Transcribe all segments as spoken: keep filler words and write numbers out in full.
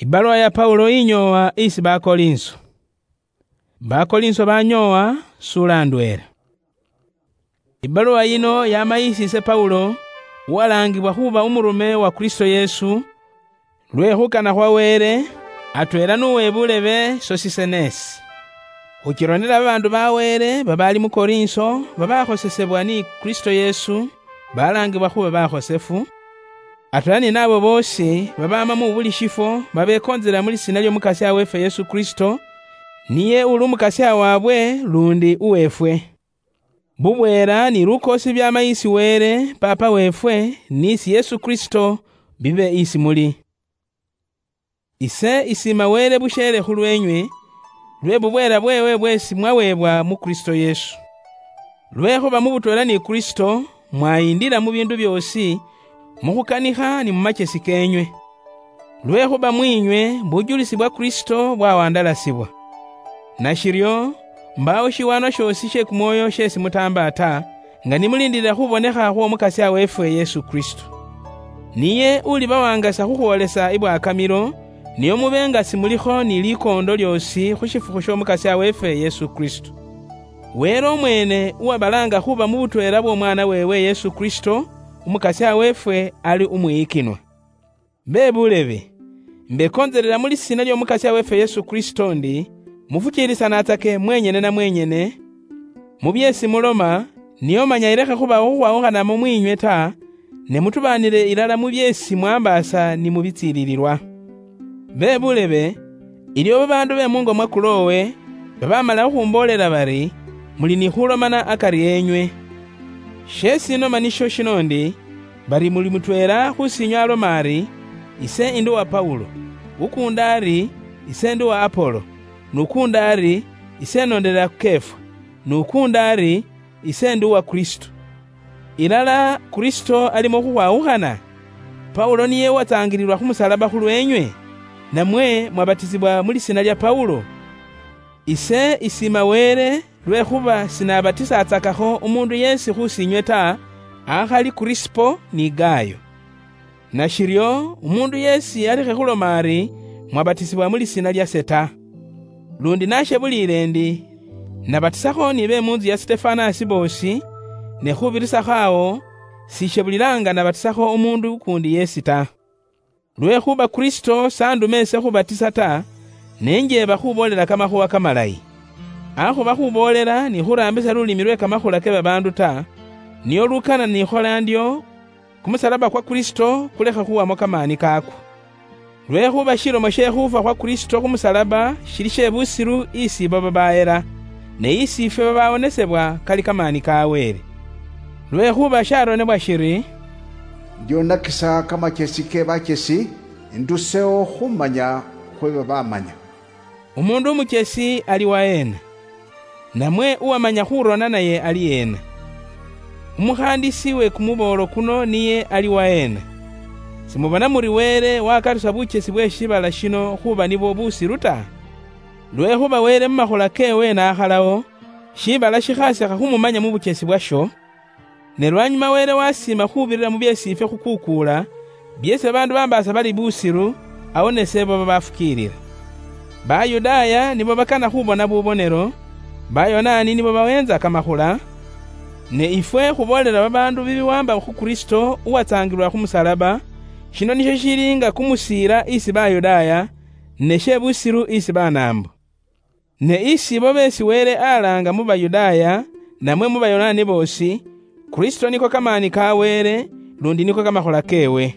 Ibaluwa ya Paulo inyoowa isi Bakolinso. Bakolinso banyoowa, sula ndweela. Ibaluwa yino yama isi ise Paulo, uwalaangibwa khuuba umurume wa Kristo Yesu, lwe khukana khwa Wele, atweela n'uwe bulebe Sosisenesi. Khuchilonela babaandu ba Wele babaali mu Korinso babakhosesebwa ni Kristo Yesu, balaangibwa khuuba bakhosefu, atweela ni naabo boosi babaama mu buli shifwo babekoontsela mu lisiina ly'Omukasya weefwe Yesu Kristo, niye uli Umukasya waabwe lundi uweefwe. Bubweela ni lukoosi byaama isi Wele, Paapa weefwe, ni isi Yesu Kristo, bibe isi muli. Ise isiima Wele busheele khulweenywe, lwe bubweela bweewe bweesi mwaweebwa mu Kristo Yesu. Lwekhuba mu butweela ni Kristo, mwayindila mu biindu byoosi, mu khukanikha ni mu machesi keenywe. Lwekhuba mwiinywe bujulisi bwa Kristo bwawandalasibwa. Nashiryo, mbaawo shiwaanwa shoosi she kumwoyo sheesi mutaamba ta, nga nimulindiilila khubonekha khw'Omukasya weefwe Yesu Kristo. Niye ulibawangasa khukhwoolesa ibwakamilo, nio mube nga simulikho ni likoondo lyoosi khu shifukhu sh'Omukasya weefwe Yesu Kristo. Wele omweene uwabalaanga khuba mu butweela bw'Omwaana weewe Yesu Kristo, Umukasya weefwe, ali umwiyikinwa. Be bulebe, imbekontselela mu lisiina ly'Omukasya weefwe Yesu Kristo ndi, mufukiilisanatsake mwenyene na mwenyene, mu byeesi muloma, nio manya ilekhe khubawo khukhwawukhanamo mwiinywe ta, ne mutubaanile ilala mu byeesi mwambaasa ni mu bitsiilililwa. Be bulebe, iliwo babaandu be mungo mwa Kulowe, babamala khukhumboolela bari, muli ni khulomana akari enywe. Sheesi inoma nisho shino ndi, bari muli mutweela khusinywe aloma ari, ise ndi uwa Paulo, ukuundi ari, ise ndi uwa Apolo, n'ukuundi ari, ise nondelela Kefa, n'ukuundi ari, ise ndi uwa Kristo. Ilala Kristo alimo khukhwawukhana? Paulo niye uwatsaangililwa khu musalaba khulweenywe, namwe mwabatisibwa mu lisiina lya Paulo? Ise isiima Wele, lwekhuba sinabatisatsakakho umuundu yeesi khusinywe ta, akhali Kurisipo ni Gayo. Nashiryo, umuundu yeesi alekhe khuloma ari, mwabatisibwa mu lisiina lyase ta. Lundi nashebuliile ndi, nabatisakho ni be mu ntsu ya Sitefanasi boosi, ne khubirisakho awo, sishebulilaanga nabatisakho umuundu ukuundi yeesi ta. Lwekhuba Kristo sanduma ese khubatisa ta, ne njeeba khuboolela kamakhuwa kamalayi. Akhuba khuboolela ni khuraambisa lulimi lwe kamakhula ke babaandu ta, nio lukana nikhola ndyo, kumusalaba kwa Kristo kulekha khuwamo kamaani kaakwo. Lwekhuba shilomo she khufwa khwa Kristo khu musalaba shili she busiru isi ibo babaayela, ne isi ifwe babawonesebwa kali kamaani ka Wele. Lwekhuba sharonebwa shiri, "Ndionakisa kamachesi ke bachesi, ndusewo khumanya khwe babamanya." Umuundu umuchesi ali waheena? Namwe uwamanya khurona naye ali heena? Umukhandisi we kumuboolo kuno niye ali waheena? Simubona muri Wele wakarusa buchesi bwe shibala shino khuba nibwo busiru ta? Lwekhuba Wele mumakhola keewe nakhalawo, shibala shikhasikha khumumanya mu buchesi bwasho, ne lwanyuma Wele wasiima khubirira mu byeesi ifwe khukukuula, byeesi babaandu bambaasa bali busiru, awo nese baba bafukiilila. Bayudaaya nibo bakana khubona bubonelo, Bayonaani nibo baweentsa kamakhula, ne ifwe khuboolela babaandu bibiwaamba khu Kristo uwatsaangilwa khu musalaba, shino nisho shili nga kumusiila isi Bayudaaya, ne she busiru isi Banaambo. Ne isi ibo beesi Wele alaanga mu Bayudaaya, namwe mu Bayonaani boosi, Kristo niko kamaani ka Wele, lundi niko kamakhola keewe.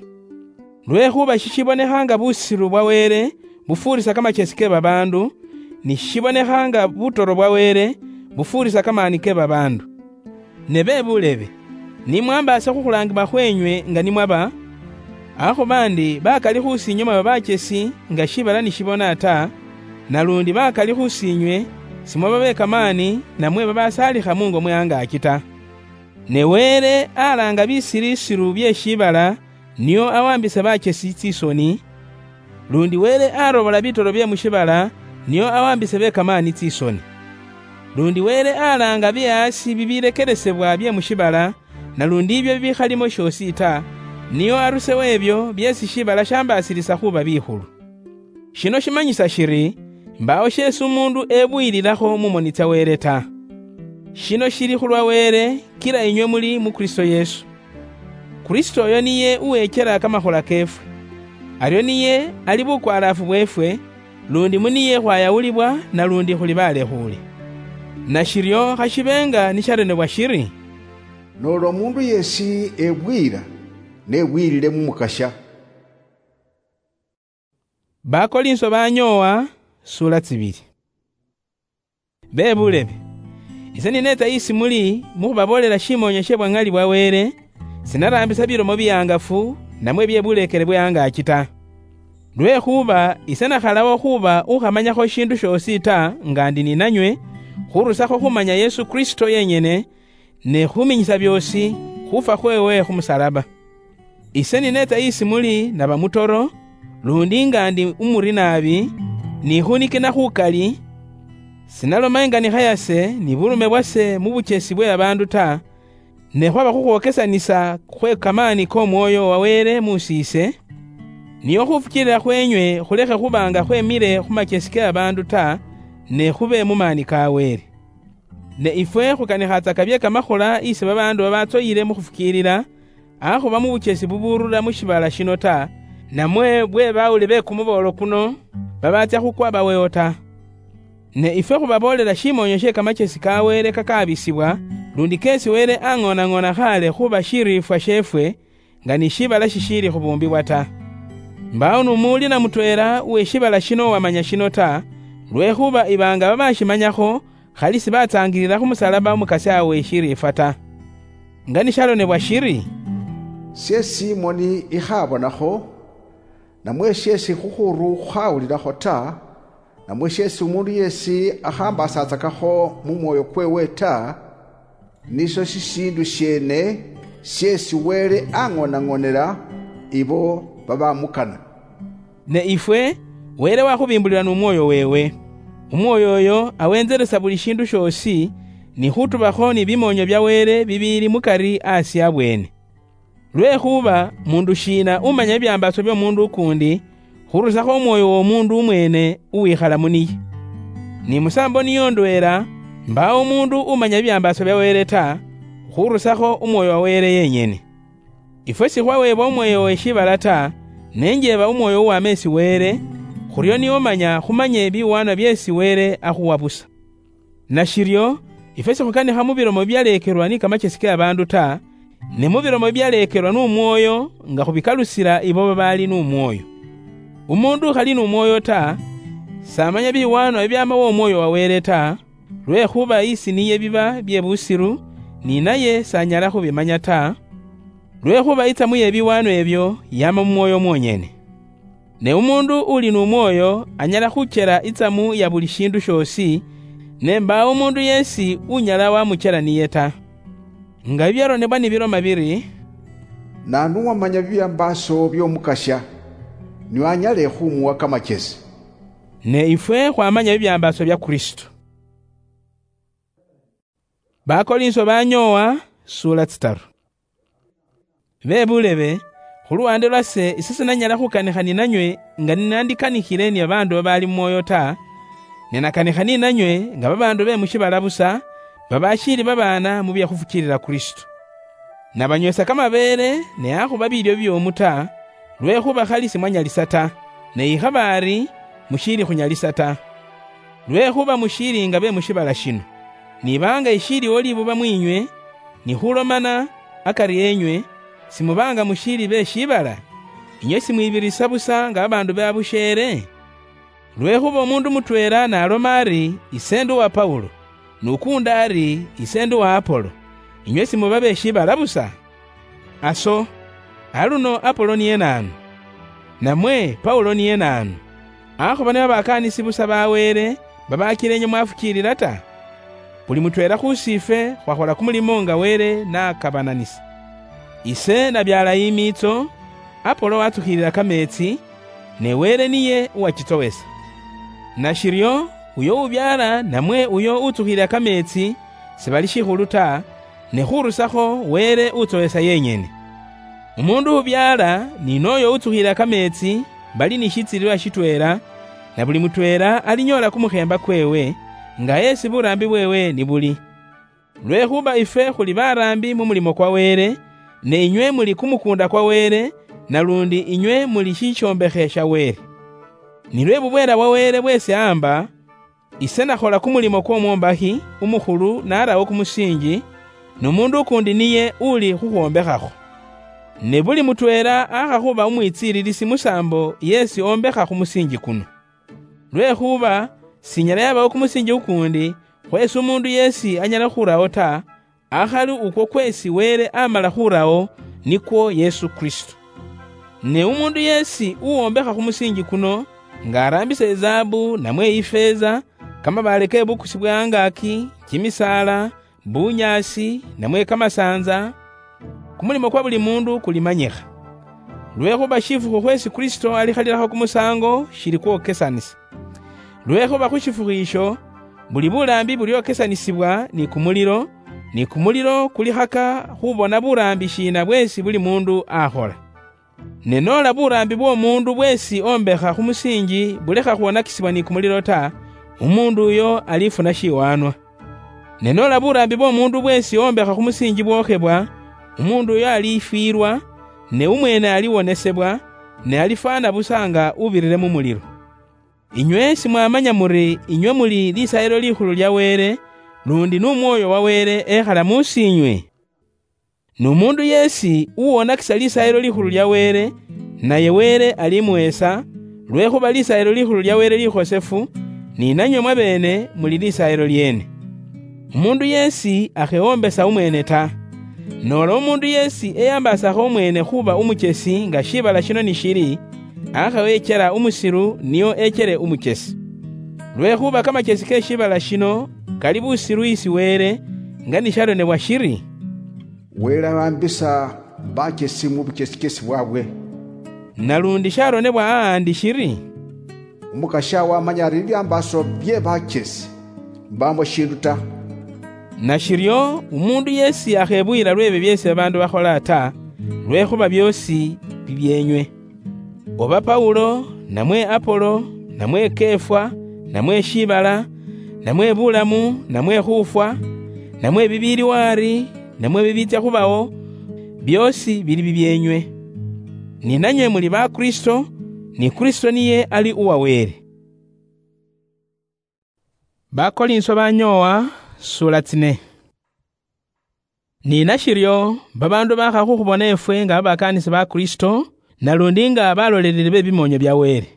Lwekhuba shishibonekha nga busiru bwa Wele bufuurisa kamachesi ke babaandu, ni shishibonekha nga butoro bwa Wele bufuurisa kamaani ke babaandu. Ne be buulebe, ni mwambaasa khukhulaangibwa khweenywe nga ni mwaba, akhuba ndi bakali khusiinywe mwaba bachesi nga shiibala ni shibona ta, nalundi bakali khusiinywe simwaba be kamaani namwe babasaalikha mungo mwe angaaki ta. Ne Wele alaanga bisiirisiru bye shiibala nio awambise bachesi tsisoni, lundi Wele arobola bitoro bye mu shiibala nio awambise be kamaani tsisoni. Lundi Wele alaanga bye asi bibilekelesebwa bye mu shiibala, nalundi ibyo bibikhalimo shiosi ta, nio arusewo ebyo byeesi shiibala shambaasirisa khuba bikhulu. Shino shimanyisa shiri, mbawo shesi umundu ebuyililakho mumoni tsa Wele ta. Shino shili khulwa Wele, kila inywe muli mu Kristo Yesu. Kristo oyo niye uwechela kamakhola kefwe. Aryo niye ali bukwalaafu bwefwe, lundi muniye khwayawulibwa, nalundi khuli balekhuule. Nashiryo khashibenga nisharonebwa shiri, "Noli omundu yesi ebwiyila, nebwiyilile mu Mukasha." Bakolinso banyoowa, sura tsibili. Be bulebe, ise ninetsa isi muli mukhubaboolela shimoonyo she bwa ŋali bwa Wele, sinaraambisa bilomo bihangafu, namwe bye buleekele bwe angaaki ta. Lwekhuba ise nakhalawo khuba ukhamanyakho shindu shoosi ta, nga ndi ninanywe, khurusakho khumanya Yesu Kristo yenyene, ne khuminyisa byoosi khufwa khwewe khu musalaba. Ise ninetsa isi muli naba mutoro, lundi nga ndi umuri naabi, nikhunikina khukali, sinaloma inganikha yase ni burume bwase mu buchesi bwe babaandu ta, ne khwaba khukhwokesanisa khwe kamaani k'Omwoyo wa Wele muusiise, nio khufukiilila khwenywe khulekhe khuba nga khwemile khu machesi ke babaandu ta, ne khube mu maani ka Wele. Ne ifwe khukanikhatsaka bye kamakhola isi babaandu babatsoyile mu khufukiilila, akhuba mu buchesi buburula mu shiibala shino ta, namwe bwe bawuli be kumuboolo kuno, babatsya khukwa bawewo ta. Ne ifwe khubaboolela shimoonyo she kamachesi ka Wele kakaabisibwa, lundi kesi Wele ang'onang'ona khaale khuba shiriifwa sheefwe, nga ni shiibala shishiili khubuumbibwa ta. Mbawo n'umuwulila mutweela uwe shiibala shino uwamanya shino ta, lwekhuba iba nga babashimanyakho, khali sibatsaangilila khu musalaba Umukasya we shiriifwa ta. Nga nishalonebwa shiri, "Syeesi imoni ikhabonakho, namwe syeesi khukhuru khukhawulilakho ta, namwe syeesi umundu yeesi akhambasatsakakho mu mwoyo kwewe ta, nisyo shishiindu shyeene syeesi Wele ang'onang'onela ibo babamukana." Ne ifwe, Wele wakhubimbulila n'Umwoyo wewe. Umwoyo oyo awenzelesa buli shiindu shoosi, ni khutubakho ni bimoonyo bya Wele bibiili mukari asi abweene. Lwekhuba mundu shiina umanya bibyambaaso by'omundu ukuundi, khurusakho umwoyo w'omundu umweene uwikhala mu niye? Ni musaambo niyo ndweela, mbaawo umuundu umanya bibyambaaso bya Wele ta, khurusakho Umwoyo wa Wele yenyene. Ifwe sikhwaweebwa umwoyo we shiibala ta, ne njeeba umwoyo uwama esi Wele, khuryo nio manya khumanye biwaanwa byeesi Wele akhuwa busa. Nashiryo, ifwe sikhukanikha mu bilomo bibyaleekelwa ni kamachesi ke babaandu ta, ne mu bilomo bibyaleekelwa n'Umwoyo, nga khubikalusila ibo babaali n'Umwoyo. Umuundu ukhali n'Umwoyo ta, samanya biwaanwa bibyaama w'Omwoyo wa Wele ta, lwekhuba isi niye biba bye busiru, ni naye sanyala khubimanya ta, lwekhuba itsamu ye biwaanwa ebyo yaama mu Mwoyo mwonyene. Ne umuundu uli n'Umwoyo anyala khuchela itsamu ya buli shiindu shoosi, ne mbaawo umuundu yeesi unyala wamuchela niye ta. Nga bibyaronebwa nibiloma biri, "Naanu uwamanya bibyambaaso by'Omukasya, nio anyale khumuwa kamachesi?" Ne ifwe khwamanya bibyambaaso bya Kristo. Bakolinso banyoowa, sura tsitaru. Be bulebe, khu luwande lwase ise sinanyala khukanikha ninanywe nga ninandikanikhile ni babaandu babaali mu mwoyo ta, ne nakanikha ninanywe nga babaandu be mu shiibala busa, babashiili babaana mu bye khufukiilila Kristo. Nabanywesa kamabeele, ne akhuba biilyo bibyoomu ta, lwekhuba khali simwanyalisa ta, ne ikhaba ari, mushiili khunyalisa ta. Lwekhuba mushiili nga be mu shiibala shino. Niba nga ishiiliwo libuba mwiinywe, ni khulomana akari enywe, simuba nga mushiili be shiibala? Inywe simwibirisa busa nga babaandu be abusheele? Lwekhuba omuundu mutweela n'aloma ari, "Ise ndi uwa Paulo," n'ukuundi ari, "Ise ndi uwa Apolo," inywe simuba be shiibala busa? Aso, aluno Apolo niye naanu? Namwe Paulo niye naanu? Akhuba nibo bakaanisi busa ba Wele, babakila inywe mwafukiilila ta? Buli mutweela khusiifwe khwakhola kumulimo nga Wele nakabananisa. Ise nabyaala imiitso, Apolo watsukhiilila kameetsi, ne Wele niye uwachitsowesa. Nashiryo, uyo ubyaala namwe uyo utsukhilila kameetsi, sibali shikhulu ta, ne khurusakho Wele utsowesa yenyene. Umuundu ubyaala ni nooyo utsukhilila kameetsi bali ni shitsililwa shitweela, na buli mutweela alinyoola kumukhemba kweewe, nga yeesi buraambi bweewe nibuli. Lwekhuba ifwe khuli baraambi mu mulimo kwa Weere, ne inywe muli kumukuunda kwa Weere, nalundi inywe muli shishoombekhe sha Weere. Nilwe bubweela bwa Weere bweesi aamba, ise nakhola kumulimo kw'omwombakhi umukhulu narawo kumusiinji, nu muundu ukuundi niye uli khukhwombekhakho. Ne buli mutweela akha khuba umwitsiililisi musaambo yeesi ombekha khu musiinji kuno. Lwekhuba sinyala yabawo kumusiinji kukuundi khweesi umuundu yeesi anyala khurawo ta, akhali ukwo kweesi Weere amala khurawo, nikwo Yesu Kristo. Ne umuundu yeesi uwombekha khu musiinji kuno, nga araambisa izaabu namwe ifeeza, kamabaale ke bukusi bwe angaaki, kimisaala, bunyaasi, namwe kamasaanza, kumulimo kwa buli muundu kulimanyikha. Lwekhuba shifukhu khweesi Kristo alikhalilakho kumusaango shili kwokesanisa. Lwekhuba khu shifukhu isho, buli buraambi buryokesanisibwa ni kumulilo, ni kumulilo kulikhaka khubona buraambi shiina bweesi buli muundu akhola. Ne noola buraambi bw'omuundu bweesi ombekha khu musiinji bulekha khwonakisibwa ni kumulilo ta, umuundu uyo alifuna shiwaanwa. Ne noola buraambi bw'omuundu bweesi ombekha khu musiinji bwokhebwa, umuundu uyo alifwiilwa, ne umweene aliwonesebwa, ne alifwaana busa nga ubirire mu mulilo. Inywe simwamanya muri inywe muli Lisaayilo Likhulu lya Weere, lundi nu Mwooyo wa Weere ekhala mu siinywe? Nu muundu yeesi uwonakisa Lisaayilo Likhulu lya Weere, naye Weere alimuheesa, lwekhuba Lisaayilo Likhulu lya Weere likhosefu, ni nanywe mwabeene muli lisaayilo lyeene. Umuundu yeesi akhewombesa umweene ta. Noola umuundu yeesi eyambaasakho umweene khuba umuchesi nga shiibala shino nishili, akhewechela umusilu nio echele umuchesi. Lwekhuba kamachesi ke shiibala shino kali busilu isi Weere, nga nisharonebwa shiri, Wele awambisa bachesi mu buchesikesi bwabwe. Nalundi sharonebwa ahandi shiri, Umukasya wamanya ari bibyambaaso bye bachesi mbaamo shindu ta. Nashiryo, umundu yeesi akhebuyila lw'ebyo byeesi babaandu bakhola ta, lwekhuba byoosi bibyeenywe. Oba Paulo, namwe Apolo, namwe Kefa, namwe shiibala, namwe bulamu, namwe khufwa, namwe bibiiliwo ari, namwe bibiitsya khubawo, byoosi bili bibyeenywe. Ni nanywe muli ba Kristo, ni Kristo niye ali uwa Wele. Bakolinso banyoowa, sula tsine. Ni nashiryo, babaandu baakha khukhubona efwe nga babakaanisi ba Kristo, nalundi nga baloleleli be bimoonyo bya Wele.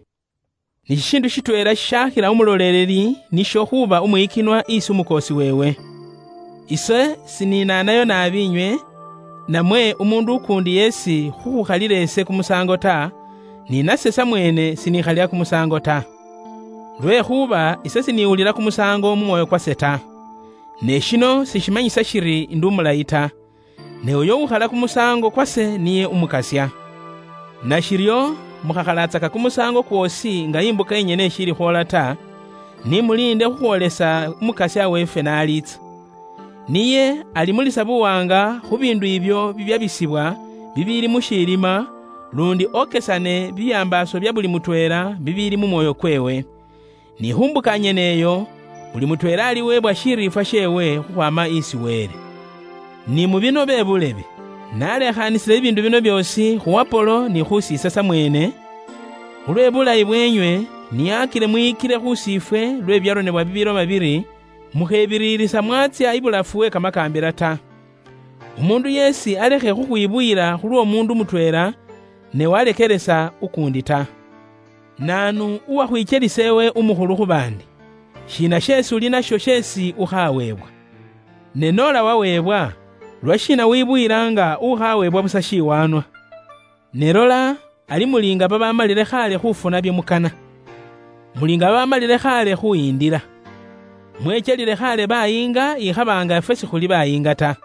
Ni shishiindu shitweela shishakhila umuloleleli, nisho khuuba umwiyikinwa isi umukoosi weewe. Ise siniinaanayo naabi inywe, namwe umuundu ukuundi yeesi khukhukhalila ise kumusaango ta, ni nase samweene sinikhalila kumusaango ta. Lwekhuba ise siniwulila kumusaango mu mwoyo kwase ta. Ne shino sishimanyisa shiri ndi umulayi ta. Ne uyo ukhala kumusaango kwase niye Umukasya. Nashiryo, mukhakhalatsaka kumusaango kwoosi nga imbuka yenyene ishili khwoola ta, ni muliinde khukhwoolesa Umukasya weefwe n'aliitsa. Niye alimulisa buwaanga khu biindu ibyo bibyabisibwa bibiili mu shiilima, lundi okesane bibyambaaso bya buli mutweela bibiili mu mwoyo kweewe. Ni khu mbuka nyene eyo, buli mutweela aliweebwa shiriifwa sheewe khukhwaama isi Wele. Ni mu bino be bulebe, nalekhaanisile bibiindu bino byoosi khu Apolo ni khu siise samweene, khulwe bulayi bweenywe, niyakile mwiyikile khu siifwe lwe byaronebwa bibiloba biri, mukhebiriirisa mwatsya ibulafu we kamakaambila ta. Umuundu yeesi alekhe khukhwibuyila khulw'omuundu mutweela, ne walekelesa ukuundi ta. Naanu uwakhwichelisa ewe umukhulu khu baandi? Shiina sheesi uli nasho sheesi ukhaweebwa? Ne noola waweebwa, lwashiina wibuyila nga ukhaweebwa busa shiwaanwa? Ne lola, ali muli nga babamalile khaale khufuna byo mukana. Muli nga babamalile khaale khuhindila. Mwechelile khaale bayiinga ikhaba nga ifwe sikhuli bayiinga ta.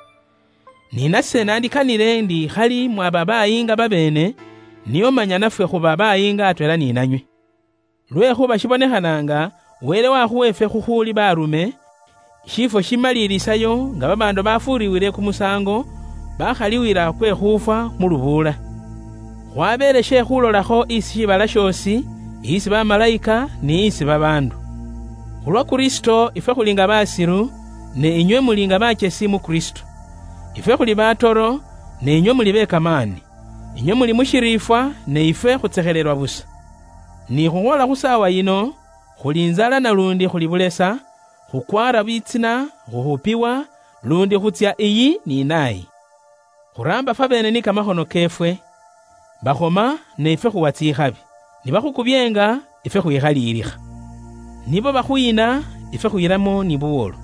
Ni nase nandikanile ndi khali mwaba bayiinga babeene, nio manya nafwe khuba bayiinga atweela ni nanywe. Lwekhuba shibonekhana nga Wele wakhuwa efwe khukhuuli baarume, shiifwo shimaliilisayo nga babaandu bafuuriwile kumusaango, bakhaliwila kwe khufwa mu lubuula. Khwabeele she khulolakho isi shiibala shoosi, isi bamalayika ni isi babaandu. Khulwa Kristo ifwe khuli nga basiru, ne inywe muli nga bachesi mu Kristo. Ifwe khuli batoro, ne inywe muli bekamaani. Inywe muli mu shiriifwa, ne ifwe khutsekhelelwa busa. Ni khukhwola khu saawa yino, khuli inzala nalundi khuli bulesa, khukwara bitsina, khuhupiwa, lundi khutsya iyi ni nayi. Khuraamba fwabeene ni kamakhono keefwe. Bakhoma, ne ifwe khuwa tsikhabi. Nibakhukubyenga, ifwe khwikhaliilikha. Nibo bakhuyina, ifwe khuyiramo ni buwolo.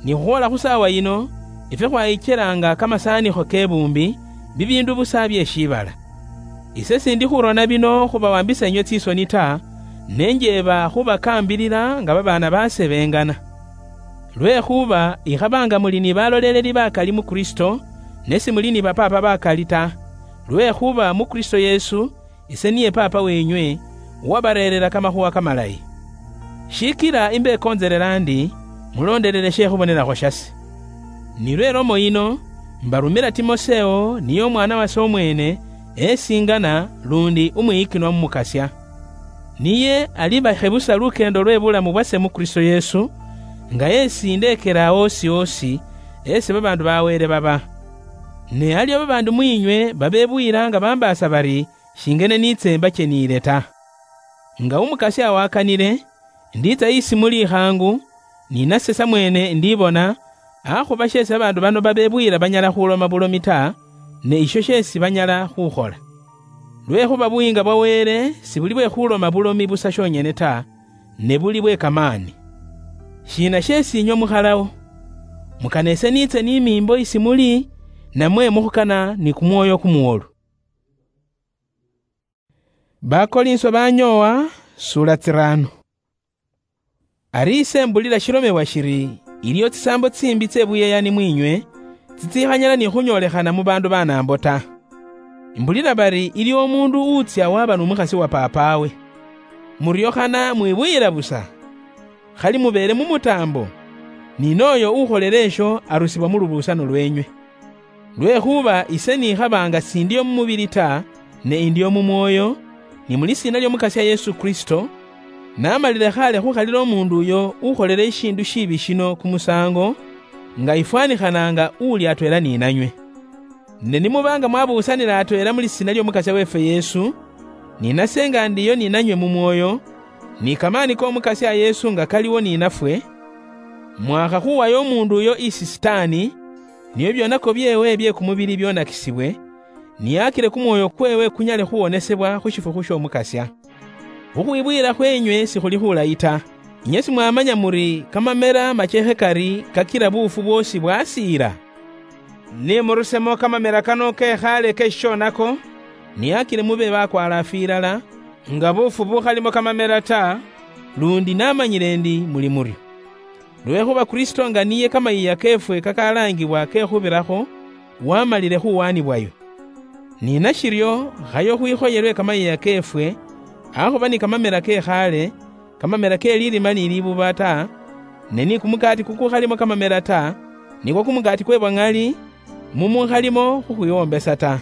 Ni khukhwola khu saawa yino, ifwe khwayichelaanga kamasaanikho k'ebuumbi, bibiindu busa bye shiibala. Ise sindi khurona bino khubawambisa inywe tsisoni ta, ne njeeba khubakaambilila nga babaana baase beengana. Lwekhuba ikhaba nga muli ni baloleeleli bakali mu Kristo, ne simuli ni bapaapa bakali ta, lwekhuba mu Kristo Yesu, ise niye Paapa weenywe, uwabareerera kamakhuwa kamalayi. Shikila imbekontselela ndi, muloondelele she khubonelakho shase. Nilwo elomo yino, mbarumila Timoseo, niye omwana wase omweene, esingana, lundi umwiyikinwa mu Mukasya. Niye alibakhebusa lukeendo lwe bulamu bwase mu Kristo Yesu, nga esi ndeekela awo osi osi, esi babaandu ba Wele baba. Ne aliwo babaandu mwiinywe babebuyila nga bambaasa bari, shingene niitse mbacheniile ta. Nga Umukasya awakanile, ndiitsa isi muli ikhaangu, ni nase samweene ndibona, akhuba sheesi babaandu bano babebuyila banyala khuloma bulomi ta, ne isho sheesi banyala khukhola. Lwekhuba buyiinga bwa Wele sibuli bwe khuloma bulomi busa shonyene ta, ne buli bwe kamaani. Shiina sheesi inywe mukhalawo? Mukana ise niitse ni miimbo isi muli, namwe mukhukana ni kumwoyo kumuwolu? Bakolinso banyoowa, sula tsirano. Ari ise mbulila shilomebwa shiri, iliyo tsisaambo tsimbi tse buyeyani mwiinywe, tsitsikhanyala ni khunyolekhana mu baandu banaambo ta. Mbulila bari iliwo omuundu uutsya waba n'omukhasi wa paapaawe. Muryo khana mwibuyila busa? Khali mubeele mu mutaambo, ni nooyo ukholele esho arusibwa mu lubuusano lweenywe. Lwekhuba ise nikhaba nga sindio mu mubili ta, ne indio mu mwoyo, ni mu lisiina ly'Omukasya Yesu Kristo, namalile khale khukhalila omuundu uyo ukholele ishiindu shiibi shino kumusaango, nga ifwanikhana nga uuli atweela ninanywe. Ne nimuba nga mwabuusanila atweela mu lisiina ly'Omukasya weefwe Yesu, ni nase nga ndiyo ninanywe mu mwoyo, ni kamaani k'Omukasya Yesu nga kaliwo ninafwe, mwakhakhuwayo omuundu uyo isi Sitaani, nio byonako byeewe bye kumubili byonakisibwe, niyakile kumwoyo kweewe kunyale khuwonesebwa khu shifukhu sh'Omukasya. Khukhwibuyila khweenywe sikhuli khulayi ta. Inywe simwamanya muri kamamela machekhe kari kakila buufu bwoosi bwasiila? Ni murusemo kamamela kano kekhaale ke shishonako, niyakile mube bakwalaafu ilala, nga buufu bukhalimo kamamela ta, lundi namanyile ndi muli muryo. Lwekhuba Kristo nga niye kamayiiya keefwe kakalaangibwa ke khubirakho, wamalile khuwaanibwayo. Ni nashiryo, khayo khwikhoyelwe kamayiiya keefwe, akhuba ni kamamela ke khaale, kamamela ke lirima ni libuba ta, ne ni kumukaati kukukhalimo kamamela ta, nikwo kumukaati kwe bwa ŋali, mumukhalimo khukhwiwombesa ta.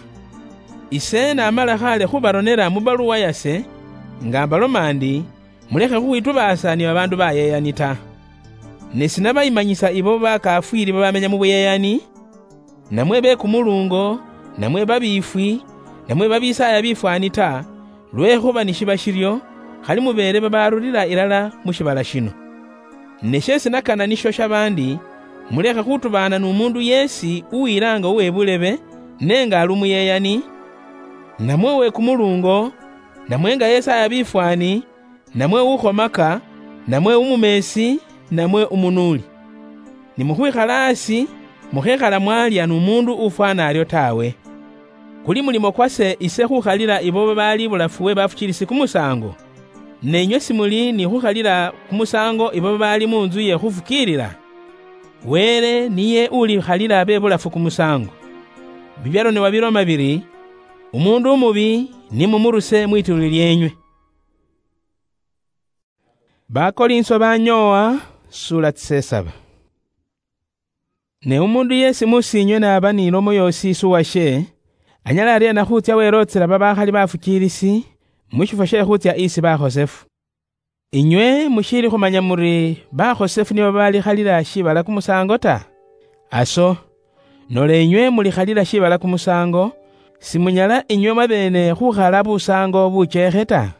Ise namala khaale khubaronela mu baluwa yase, nga mbaloma ndi, mulekhe khukhwitubaasa ni babaandu bayeyani ta. Ne sinabayimanyisa ibo bakafwiili babamenya mu buyeyani, namwe be kumulungo, namwe babiifwi, namwe babisaaya bifwaani ta, lwekhuba nishiba shiryo, khali mubeele babaarulila ilala mu shibala shino. Ne sheesi nakana nisho shabandi, mulekhe khutubaana n'umuundu yeesi uwilaanga uwe bulebe, ne nga ali umuyeyani, namwe uwe kumulungo, namwe nga yesaaya bifwaani, namwe ukhomaka, namwe umumeesi, namwe umunuuli. Nimukhwikhala asi, mukhekhala mwalya n'umuundu ufwana aryo tawe. Kuli mulimo kwase ise khukhalila ibo babaali ibulafu we bafukiilisi kumusaango? Ne inywe simuli ni khukhalila kumusaango ibo babaali mu ntsu ye khufukiilila? Wele niye ulikhalila be bulafu kumusaango. Bibyaronebwa biloma biri, "Umuundu umubi nimumuruse mwituuli lyeenywe." Bakolinso banyoowa, sula tsisesaba. Ne umuundu yeesi musiinywe n'aba n'ilomo yoosi isuwashe, anyala aryeena khuutsya weelootsela babakhali bafukiilisi, mushifwo she khutsia isi bakhosefu. Inywe mushiili khumanya muri bakhosefu nibo balikhalila shibala kumusango ta? Aso, nola inywe mulikhalila shibala kumusango, simunyala inywe mwabene khukhala busango buchekhe ta?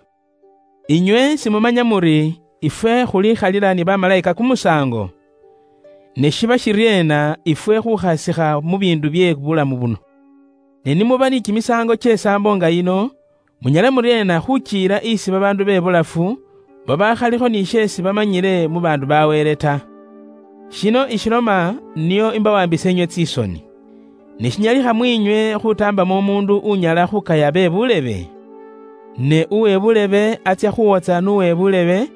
Inywe simumanya muri ifwe khulikhalila ni bamalaika kumusango? Ne shiba shiriena ifwe khukhasikha mu bindu bye bulamu buno? Ne nimuba ni kimisango kye sambo nga yino, munyala muriena khuchiira isi babaandu be bulafu, babakhalikho ni sheesi bamanyile mu baandu ba Wele ta? Shino ishiloma niyo imbawambisa inywe tsisoni. Ne shinyalikha mwinywe khutambamo umuundu unyala khukaya be bulebe? Ne uwe bulebe atsia khuwotsa n'uwe bulebe,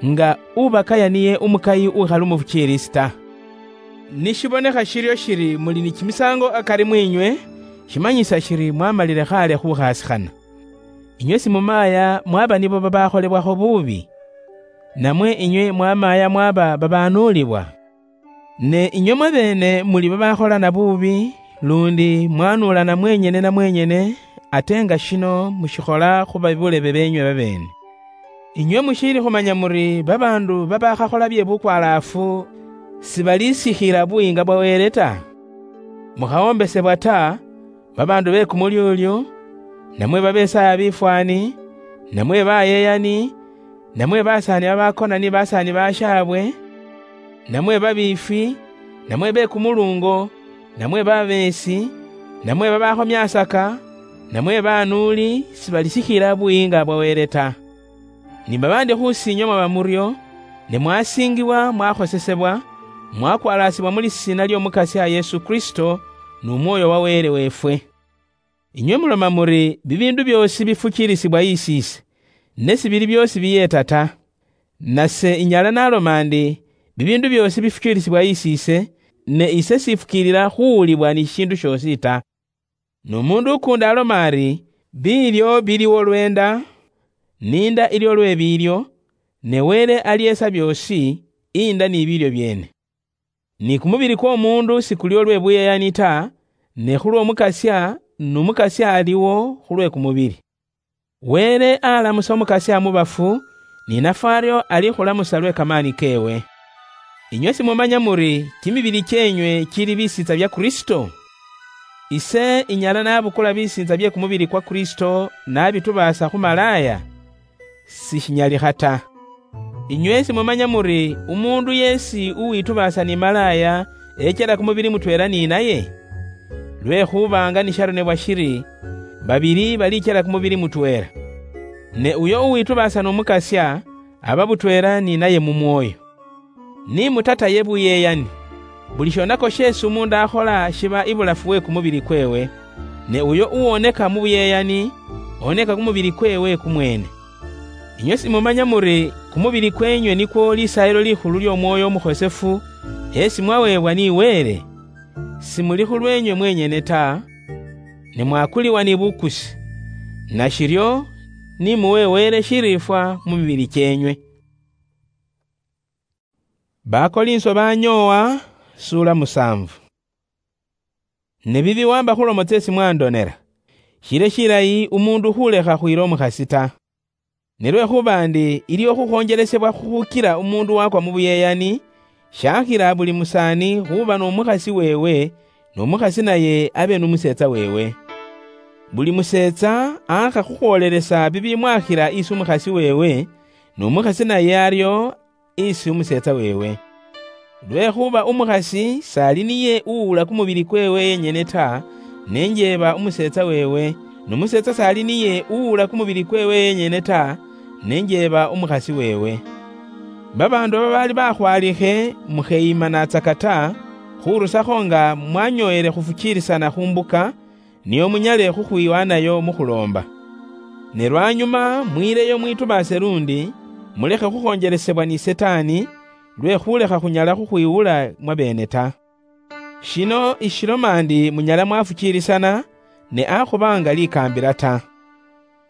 nga ubakaya niye umukayi ukhali umufukiilisi ta. Nishibonekha shiryo shiri muli ni kimisango akari mwinywe, shimanyisa shiri mwamalile khaale khukhasikhana. Inywe simumaya mwaba nibo babakholebwakho buubi? Namwe inywe mwamaya mwaba babanuulibwa? Ne inywe mwabeene muli babakholana buubi, lundi mwanuulana mwenyene na mwenyene, ate nga shino mushikhola khu babulebe beenywe babeene. Inywe mushiili khumanya muri babaandu babakhakhola bye bukwalaafu sibalisikhila buyiinga bwa Wele ta? Mukhawombesebwa ta, babaandu be kumulyolyo, namwe babesaaya bifwaani, namwe bayeyani, namwe basaani babakona ni basaani bashaabwe, namwe babiifwi, namwe be kumulungo, namwe babeesi, namwe babakhomyaasaka, namwe banuuli, sibalisikhila buyiinga bwa Wele ta. Ni babaandi khusi inywe mwaba muryo, ne mwasiingibwa, mwakhosesebwa, mwakwalaasibwa mu lisiina ly'Omukasya Yesu Kristo, nu Mwooyo wa Wele weefwe. Inywe muloma muri bibiindu byoosi bifukiilisibwa isiise, ne sibili byoosi biyeeta ta. Nase inyala naloma ndi, bibiindu byoosi bifukiilisibwa isiise, ne ise sifukiilila khuwulibwa ni shishiindu shoosi ta. N'omuundu ukuundi aloma ari, biilyo bili olw'enda, n'inda ili olwe biilyo, ne Wele alyeesa byoosi, inda ni biilyo byeene. Ni kumubili kw'omuundu sikuli olwe buyeyani ta, ne khulw'Omukasya, n'Omukasya aliwo khulwe kumubili. Wele alamusa Omukasya mu bafu, ni nafwe aryo alikhulamusa lwe kamaani keewe. Inywe simumanya muri kimibili kyenywe kili bisiitsa bya Kristo? Ise inyala nabukula bisiitsa bye kumubili kwa Kristo nabitubaasa khu malaaya? Sishinyalikha ta. Inywe simumanya muri umuundu yeesi uwitubaasa ni malaaya echela kumubili mutweela ni naye? Lwekhuba nga nisharonebwa shiri, babili balichela kumubili mutweela. Ne uyo uwitubaasa n'Omukasya, aba butweela ni naye mu mwoyo. Ni mutataye buyeyani. Buli shonako sheesi umuundu akhola shiba ibulafu we kumubili kweewe, ne uyo uwoneka mu buyeyani, oneka kumubili kweewe kumweene. Inywe simumanya muri kumubili kweenywe nikwo lisaayilo likhulu ly'Omwoyo Omukhosefu, esi mwaweebwa ni Wele? Simuli khulweenywe mwenyene ta, ne mwakuliwa ni bukusi. Nashiryo, ni muwe Wele shiriifwa mu mibili kyenywe. Bakolinso banyoowa, suula musaanvu. Ne bibi wamba khulomo tseesi mwandonela, shile shilayi umuundu khulekha khwiira omukhasi ta. Ne lwekhuba ndi iliwo khukhonjelesebwa khukhukila umuundu wakwa mu buyeyani, shakhila buli musaani khuba n'omukhasi weewe, n'omukhasi naye abe n'umuseetsa weewe. Buli museetsa aakha khukhwoolelesa bibimwakhila isi umukhasi weewe, n'omukhasi naye aryo isi umuseetsa weewe. Lwekhuba umukhasi s'ali niye uwuula kumubili kweewe yenyene ta, ne njeeba umuseetsa weewe, n'umuseetsa s'ali niye uwuula kumubili kweewe yenyene ta, ne njeeba umukhasi weewe. Babaandu babaali bakhwalikhe, mukheyimanatsaka ta, khurusakho nga mwanyooyele khufukiilisana khu mbuka, nio munyale khukhwiwanayo mu khuloomba. Ne lwanyuma mwiileyo mwitubaase lundi, mulekhe khukhonjelesebwa ni Sitaani, lwe khulekha khunyala khukhwiwula mwabeene ta. Shino ishiloma ndi munyala mwafukiilisana, ne akhuba nga likaambila ta.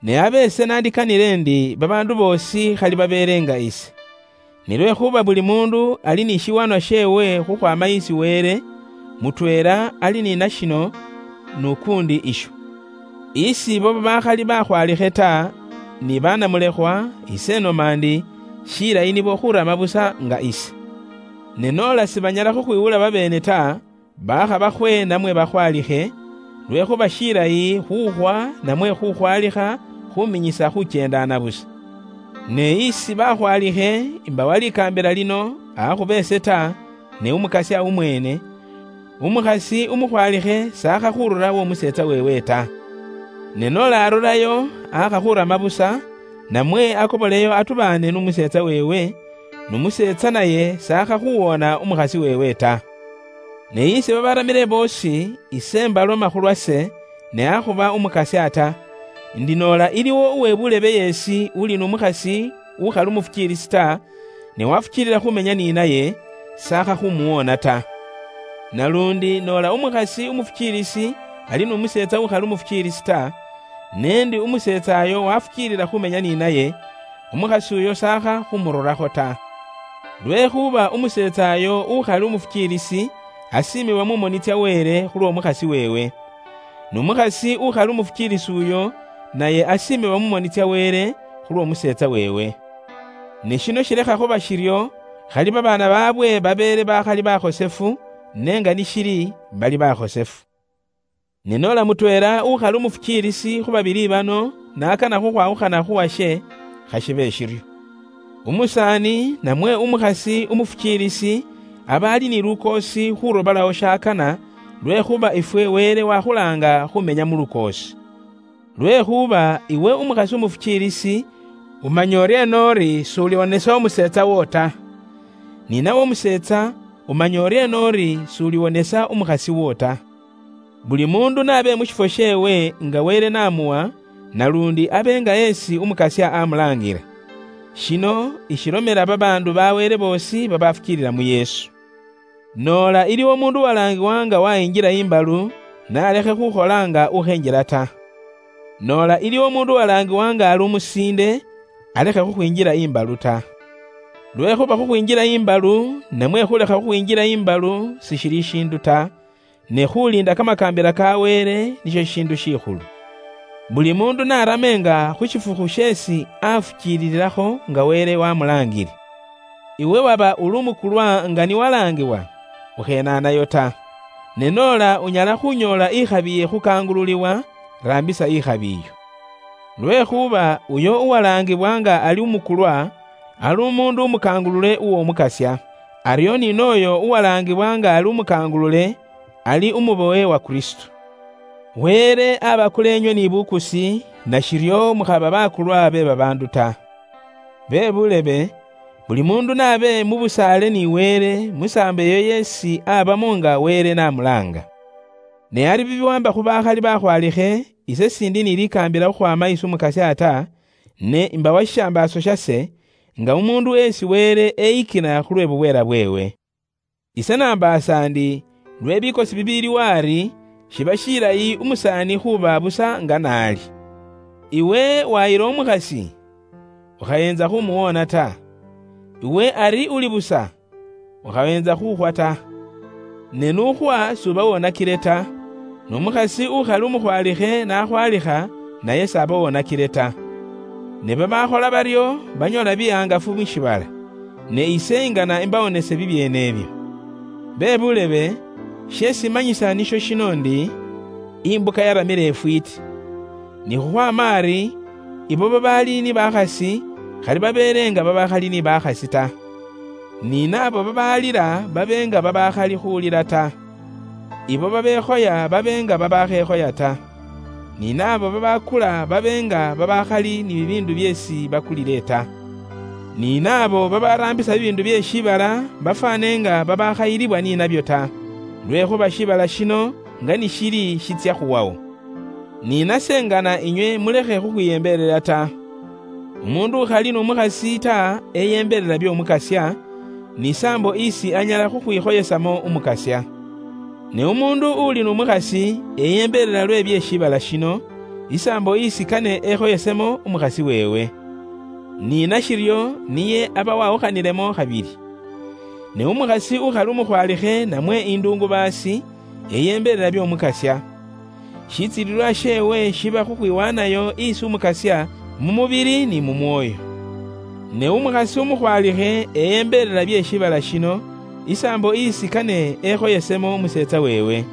Ne abe ise nandikanile ndi babaandu boosi khali babeele nga ise. Ne lwekhuba buli muundu ali ni shiwanwa sheewe khukhwaama isi Wele, mutweela ali ni nashino, n'ukuundi isho. Isi ibo babakhali bakhwalikhe ta, ni banamulekhwa, ise nomandi, shilayi nibo khurama busa nga ise. Ne nola sibanyala khukhwiwula babeene ta, bakhabakhwe namwe bakhwalikhe, lwekhuba shilayi khukhwa namwe khukhwalikha khuminyisa khuchendana busa. Ne isi bakhwalikhe, imbawa likaambila lino, akhuba ese ta, ne Umukasya umweene, umukhasi umukhwalikhe sakha khurura w'omuseetsa weewe ta. Ne nola arurayo, akha khurama busa, namwe akoboleyo atubaane n'umuseetsa weewe, n'umuseetsa naye sakha khuwoona umukhasi weewe ta. Ne isi babaramile boosi, ise mbaloma khulwase, ne akhuba umukasya ta, ndi noola iliwo uwe bulebe yeesi uli n'umukhasi ukhali umufukiilisi ta, ne wafukiilila khumenya ni naye, sakha khumuwoona ta. Nalundi noola umukhasi umufukiilisi ali n'umuseetsa ukhali umufukiilisi ta, nendi umuseetsa ayo wafukiilila khumenya ni naye, umukhasi uyo sakha khumururakho ta. Lwekhuba umuseetsa ayo ukhali umufukiilisi asiimibwa mu moni tsya Wele khulw'omukhasi weewe. N'umukhasi ukhali umufukiilisi uyo, naye asiimibwa mu moni tsya Wele khulw'omuseetsa weewe. Ne shino shilekha khuba shiryo, khali babaana baabwe babeele bakhali bakhosefu, ne nga nishili, bali bakhosefu. Ne nola mutweela ukhali umufukiilisi khu babili bano n'akana khukhwawukhana khu washe, khashibe shiryo. Umusaani namwe umukhasi umufukiilisi aba ali ni lukoosi khurobolaho shakana, lwekhuba ifwe Wele wakhulaanga khumenya mu lukoosi. Lwekhuba iwe umukhasi umufukiilisi, umanya uryeena uri s'uliwonesa umuseetsa wo ta? Ni nawe umuseetsa, umanya uryeena uri s'uliwonesa umukhasi wo ta? Buli muundu n'abe mu shifwo sheewe nga Wele n'amuwa, nalundi abe nga esi umukasya amulaangira. Shino ishilomela babaandu ba Wele boosi babafukiilila mu Yesu. Noola iliwo umuundu uwalaangiwa nga wayinjila imbalu, n'alekhe khukhola nga ukhenjila ta. Noola iliwo umuundu uwalaangiwa nga ali umusiinde, alekhe khukhwinjila imbalu ta. Lwekhuba khukhwinjila imbalu, namwe khulekha khukhwinjila imbalu, sishili shindu ta, ne khuliinda kamakaambila ka Wele nisho shishiindu shikhulu. Buli muundu n'arame nga khu shifukhu sheesi afukiilililakho nga Wele wamulaangile. Iwe waba uli umukulwa nga ni walaangiwa, ukhenaanayo ta. Ne noola unyala khunyoola ikhabi ye khukaangululiwa, raambisa ikhabi iyo. Lwekhuba uyo uwalaangibwa nga ali umukulwa, ali umuundu umukangulule uw'Omukasya, aryo ni nooyo uwalaangibwa nga ali umukangulule, ali umubowe wa Kristu. Wele abakule inywe ni bukusi, nashiryo mukhaba bakulwa be babaandu ta. Be bulebe, buli muundu n'abe mu busaale ni Wele mu saambo eyo yeesi abamo nga Wele n'amulaanga. Ne ari bibiwaamba khu bakhali bakhwalikhe, ise sindi ni likaambila khukhwaama isi Umukasya ta, ne imbawa shishambaaso shase, nga umuundu esi Wele eyikina khulwe bubweela bweewe. Ise nambaasa ndi, lwe bikosi bibiiliwo ari, shiba shilayi umusaani khuba busa nga naali. Iwe wayila umukhasi, ukhayeenza khumuwoona ta. Iwe ari uli busa, ukhaweenza khukhwa ta. Ne n'ukhwa s'uba wonakile ta, n'umukhasi ukhali umukhwalikhe nakhwalikha, naye s'aba wonakile ta. Ne babakhola baryo banyoola bihangafu mu shiibala, ne ise ingana imbawonese bibyeene ebyo. Be bulebe, sheesi manyisa nisho shino ndi, imbuka yaramile ifwiiti. Ni khukhwaama ari, ibo babaali ni bakhasi, khali babeele nga babakhali ni bakhasi ta. Ni naabo babaalila babe nga babakhali khulila ta. Ibo babekhoya babe nga babakhekhoya ta. Ni naabo babakula babe nga babakhali ni bibiindu byeesi bakulile ta. Ni naabo babaraambisa bibiindu bye shiibala bafwaane nga babakhayilibwa ni nabyo ta, lwekhuba shiibala shino nga ni shili shitsya khuwawo. Ni nase ngana inywe mulekhe khukhwiyembelela ta. Umuundu ukhali n'umukhasi ta eyembelela by'Omukasya, ni saambo isi anyala khukhwikhoyesamo Umukasya. Ne umuundu uli n'umukhasi eyembelela lwe bye shiibala shino, isaambo isi kane ekhoyesemo umukhasi weewe. Ni nashiryo niye aba wawukhanilemo khabili. Ne umukhasi ukhali umukhwalikhe namwe induungubaasi, eyembelela by'Omukasya. Shitsililwa sheewe shiba khukhwiwanayo isi Umukasya mumubili ni mumwoyo. Ne umukhasi umukhwalikhe eyembelela bye shibala shino, isaambo isi kane ekhoyesemo umuseetsa weewe.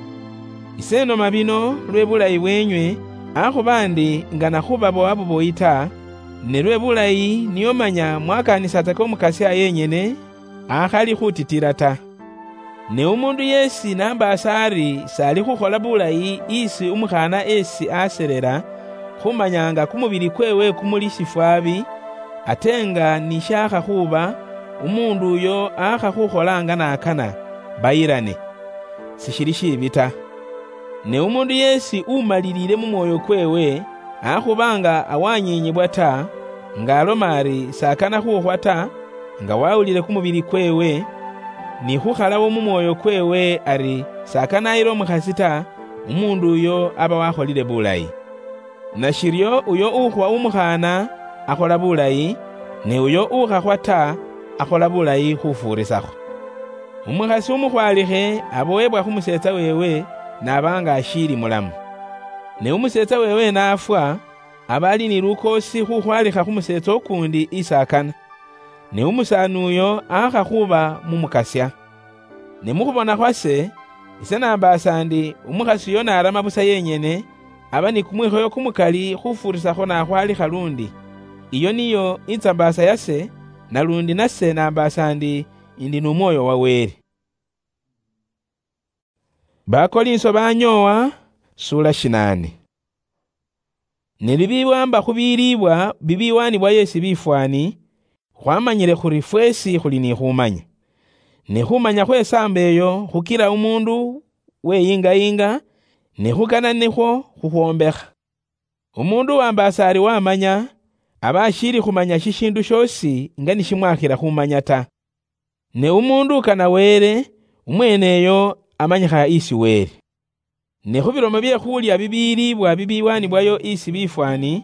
Ise noma bino lwe bulayi bwenywe, akhuba ndi ngana khubabowa buboyi ta, ne lwe bulayi niyo manya mwakaanisataka umukasya yenyene, akhali khutitila ta. Ne umundu yeesi nambaasa ari s'ali khukhola bulayi isi umukhaana esi aselela, khumanya nga kumubili kweewe kumuli shifwaabi, ate nga ni shaakha khuuba, umuundu uyo aakha khukhola nga n'akana, bayilane. Sishili shiibi ta. Ne umundu yeesi umaliliile mu mwoyo kweewe, akhuba nga awanyiinyibwa ta, nga aloma ari s'akana khuukhwa ta, nga wawulile kumubili kweewe, ni khukhalawo mu mwoyo kweewe ari s'akana ayile umukhasi ta, umuundu uyo aba wakholile bulayi. Nashiryo uyo ukhwa umukhaana akhola bulayi, ne uyo ukhakhwa ta, akhola bulayi khufuurisakho. Umukhasi umukhwalikhe abowebwa khu museetsa weewe, n'aba nga ashiili mulamu. Ne umuseetsa weewe n'afwa, aba ali ni lukoosi khukhwalikha khu museetsa ukuundi isi akana. Ne umusaani uyo aakha khuuba mu mukasya. Ne mu khubona khwase, ise nambaasa ndi umukhasi uyo n'arama busa yenyene, aba ni kumwikhoyo kumukali khufuurisakho n'akhwalikha lundi. Iyo niyo itsambaasa yase, nalundi nase nambaasa ndi, ndi n'umwoyo wa Wele. Bakolinso banyoowa, sula shinaane. Ne bibiwaamba khu biliibwa bibiwaanibwa yeesi bifwaani, khwamanyile khuli fweesi khuli ni khumanya. Ne khumanya khw'esaambo eyo khukila umuundu weyingayinga, ne khukana nikhwo khukhwombekha. Umuundu uwambaasa ari wamanya, aba ashiili khumanya shishiindu shoosi nga nishimwakhila khumanya ta. Ne umuundu ukana Wele, umweeneyo amanyikha isi Wele. Ne khu bilomo bye khuulya bibiiliibwa bibiwaanibwayo isi bifwaani,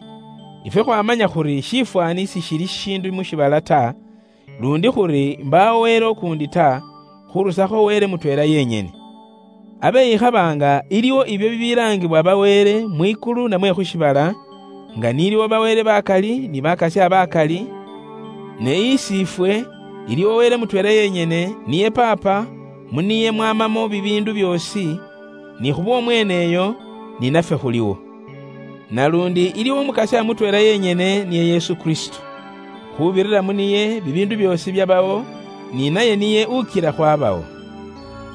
ifwe khwamanya khuri shifwaani sishili shishiindu mu shiibala ta, lundi khuri mbaawo Wele ukuundi ta, khurusakho Wele mutweela yenyene. Abe ikhaba nga iliwo ibyo bibilaangibwa ba Wele mwikulu namwe khu shiibala, nga niliwo ba Wele bakali ni bakasya bakali, ne isi ifwe iliwo Wele mutweela yenyene, niye Paapa, mu niye mwamamo bibiindu byoosi, ni khubw'omweeneyo, ni nafwe khuliwo. Nalundi iliwo Umukasya mutweela yenyene, niye Yesu Kristo. Khubirira mu niye bibiindu byoosi byabawo, ni naye niye ukila khwabawo.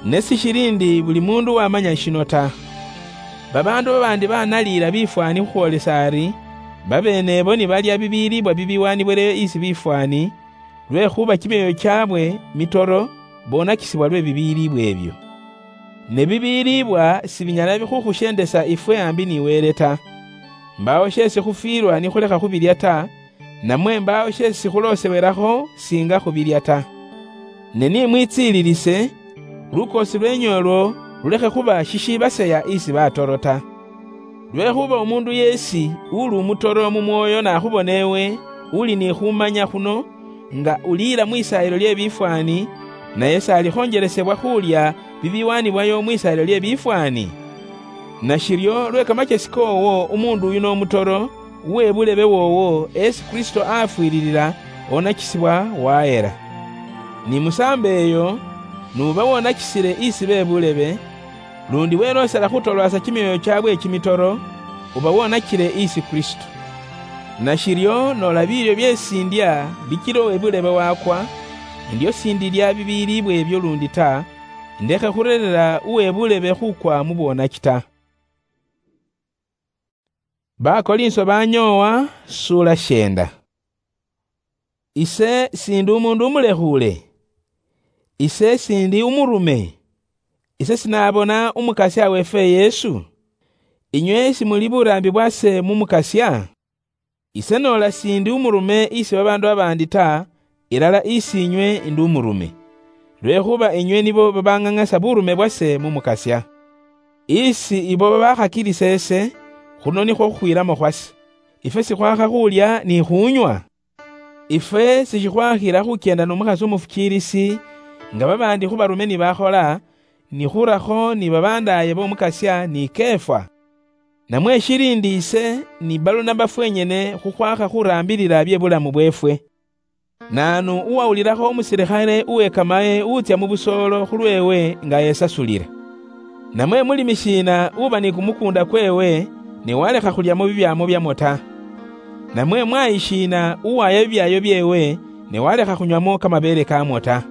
Ne sishili ndi buli muundu wamanya shino ta. Babaandu babaandi banaliila bifwaani khukhwoolesa ari, babeenebo nibalya bibiiliibwa bibiwaanibwileyo isi bifwaani, lwekhuba kimyoyo kyaabwe mitoro, bonakisibwa lwe bibiiliibwa ebyo. Ne bibiiliibwa sibinyala khukhusyendesa ifwe ambi ni Wele ta. Mbaawo sheesi khufwiilwa nikhulekha khubilya ta, namwe mbaawo sheesi khuloosewelakho siinga khubilya ta. Ne ni mwitsiililise, lukoosi lweenyu olwo lulekhe khuba shishiibaseya isi batoro ta. Lwekhuba umuundu yeesi uli umutoro mu mwoyo nakhubona ewe uli ni khumanya khuno, nga uliila mwisaayilo lye bifwaani, naye s'alikhonjelesebwa khuulya bibiwaanibwayo mwisaayilo lye bifwaani? Nashiryo lwe kamachesi koowo umuundu uyu n'omutoro, uwe bulebe woowo esi Kristo afwiililila, onakisibwa wahela. Ni musaambo eyo, nuuba wonakisile isi be bulebe, lundi weloosela khutolwaasa kimyoyo kyaabwe kimitoro, uba wonakile isi Kristo. Nashiryo noola biilyo byeesi ndya bichila uwe bulebe wakwa, endyo sindilya bibiiliibwa ebyo lundi ta, ndekhe khureerera uwe bulebe khukwa mu bwonaki ta. Bakolinso banyoowa, suula sheenda. Ise sindi umuundu umulekhuule. Ise sindi umurume. Ise sinaabona Umukasya weefwe Yesu. Inywe simuli buraambi bwase mu Mukasya? Ise noola sindi umurume isi babaandu babaandi ta, ilala isi inywe indi umurume, lwekhuba inywe nibo babang'ang'asa burume bwase mu Mukasya. Isi ibo babakhakilisa ese, khuno nikhwo khukhwiilamo khwase. Ifwe sikhwakha khuulya ni khuunywa? Ifwe sishikhwakhila khukyenda n'omukhasi umufukiilisi, nga babaandi khu barume ni bakhola, ni khurakho ni babandaaye b'Omukasya ni Kefa? Namwe shili ndi ise ni Balunaba fwenyene khukhwakha khuraambilila bye bulamu bweefwe. Naanu uwawulirakho umusilikhale uwekamaye utsya mu busoolo khulweewe nga esasulila? Namwe mulimi shiina uba ni kumukuunda kweewe ne walekha khulyamo bibyaamo byamwo ta? Namwe mwayi shiina uwaya bibyaayo byeewe ne walekha khunywamo kamabeele kaamwo ta?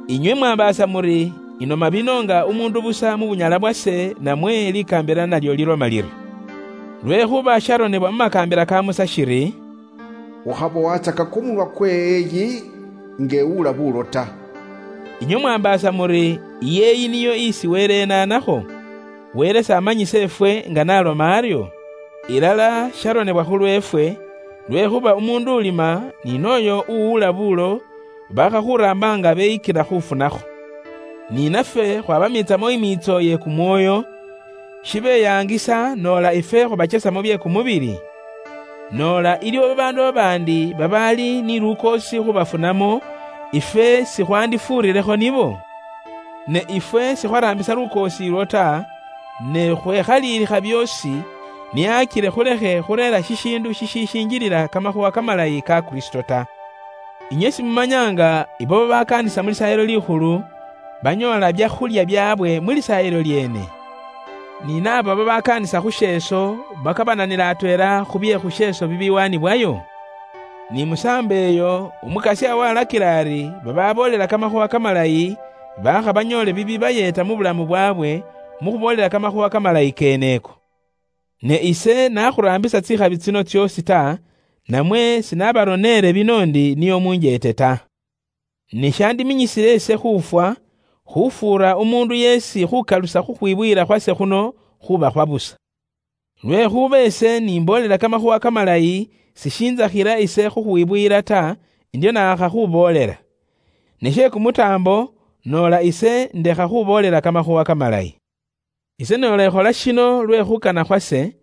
Inywe mwambaasa muri, inoma bino nga umuundu busa mu bunyala bwase, namwe likaambila nalyo liloma liryo. Lwekhuba sharonebwa mu makaambila ka Musa shiri, "Ukhaba watsaka kumunwa kweeyi ngewuula bulo ta." Inywe mwambaasa muri, iyeeyi niyo isi Wele enaanakho? Wele s'amanyisa efwe nga n'aloma aryo? Ilala sharonebwa khulweefwe, lwekhuba umuundu ulima ni nooyo uwuula bulo bakhakhuraamba nga beyikila khufunakho. Ni nafwe khwabamiitsamo imiitso ye kumwoyo, shibeyaangisa noola ifwe khubachesamo bye kumubili? Noola iliwo babaandu babaandi babaali ni lukoosi khubafunamo, ifwe sikhwandifuurilekho nibo? Ne ifwe sikhwaraambisa lukoosi ilwo ta, ne khwekhaliilikha byoosi, niakile khulekhe khureera shishiindu shishishinjilila kamakhuwa kamalayi ka Kristo ta. Inywe simumanya nga ibo babakaanisa mu Lisaayilo Likhulu banyoola byakhulya byaabwe mu Lisaayilo lyeene? Ni naabo babakaanisa khu sheeso bakabananila atweela khu bye khu sheeso bibiwaanibwayo? Ni musaambo eyo, Umukasya walakila ari bababoolela kamakhuwa kamalayi bakha banyoole bibibayeeta mu bulamu bwaabwe mu khuboolela kamakhuwa kamalayi keeneko. Ne ise nakhuraambisa tsikhabi tsino tsyoosi ta, namwe sinabaroneele bino ndi niyo munjeete ta. Ne shandiminyisile ise khufwa, khufuura umuundu yeesi khukalusa khukhwibuyila khwase khuno khuba khwa busa. Lwekhuba ise nimboolela kamakhuwa kamalayi, sishinzakhila ise khukhwibuyila ta, ndio naakha khuboolela. Ne she kumutaambo, noola ise ndekha khuboolela kamakhuwa kamalayi. Ise noola ekhola shino lwe khukana khwase,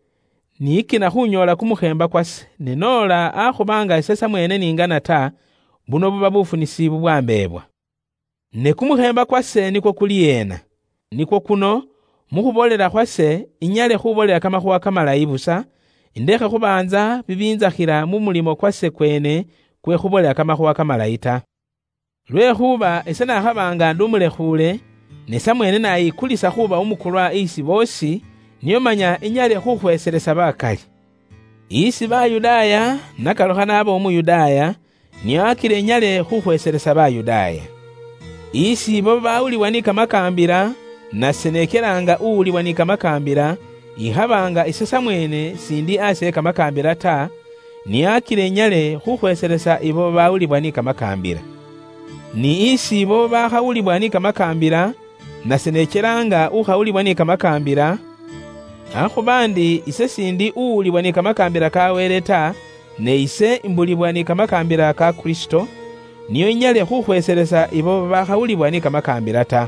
niyikina khunyoola kumukheemba kwase, ne noola akhuba nga ise samweene ningana ta, buno buba bufunisi bubwambeebwa. Ne kumukheemba kwase nikwo kuli yeena? Nikwo kuno, mu khuboolela khwase, inyale khuboolela kamakhuwa kamalayi busa, indekhe khubaanza bibiinzakhila mu mulimo kwase kweene kwe khuboolela kamakhuwa kamalayi ta. Lwekhuba ise nakhaba nga ndi umulekhuule, ne samweene nayikulisa khuba umukulwa isi boosi, nio manya inyale khukhweeselesa bakali. Isi Bayudaaya, nakalukha naba Umuyudaaya, nio akile inyale khukhweeselesa Bayudaaya. Isi ibo babawulibwa ni kamakaambila, nase nekelaanga uwulibwa ni kamakaambila, ikhaba nga ise samweene sindi asi e kamakaambila ta, nio akile inyale khukhweeselesa ibo babawulibwa ni kamakaambila. Ni isi ibo bakhawulibwa ni kamakaambila, nase nechelaanga ukhawulibwa ni kamakaambila, akhuba ndi ise sindi uwulibwa ni kamakaambila ka Wele ta, ne ise imbulibwa ni kamakaambila ka Kristo, nio inyale khukhweeselesa ibo babakhawulibwa ni kamakaambila ta.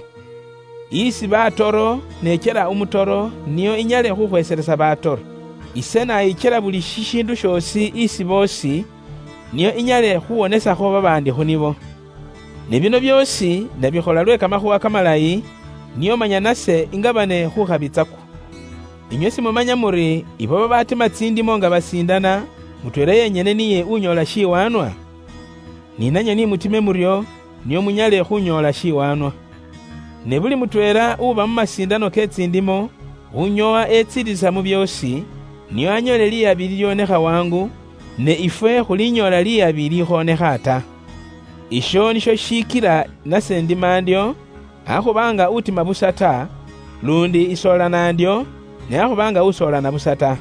Isi batoro nechela umutoro, nio inyale khukhweeselesa batoro. Ise nayichela buli shishiindu shoosi isi boosi, nio inyale khuwonesakho babaandi khu nibo. Ne bino byoosi ndabikhola lwe kamakhuwa kamalayi, nio manya nase ingabane khukhabitsakwo. Inywe simumanya muri ibo babatima tsindimo nga basiindana, mutweela yenyene niye unyoola shiwaanwa? Ni nanywe ni mutime muryo, nio munyale khunyoola shiwaanwa. Ne buli mutweela uba mu masiindano ke tsindimo, unyoowa etsilisa mu byoosi, nio anyoole liyabi lilionekha wangu, ne ifwe khulinyoola liyabi likhoonekha ta. Isho nisho shikila nase ndima ndyo, akhuba nga utima busa ta, lundi isoolana ndyo, ne akhuba nga usoolana busa ta.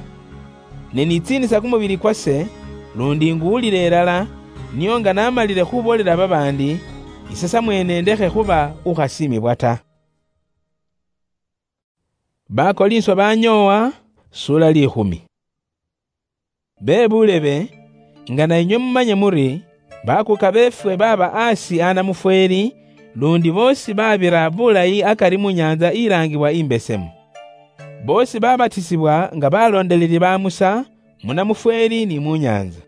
Ne nitsiinisa kumubili kwase, lundi nguwulila elala, nio nga namalile khuboolela babaandi, ise samweene ndekhe khuba ukhasiimibwa ta. Bakolinswa banyoowa, sula likhumi. Be buulebe, nga na inywe mumanye muri, bakuuka beefwe baaba aasi a namufweeli, lundi boosi babira bulayi akari mu nyaantsa ilaangibwa Imbesemu. Boosi babatisibwa nga baloondeleli ba Musa, mu namufweeli ni mu nyaantsa.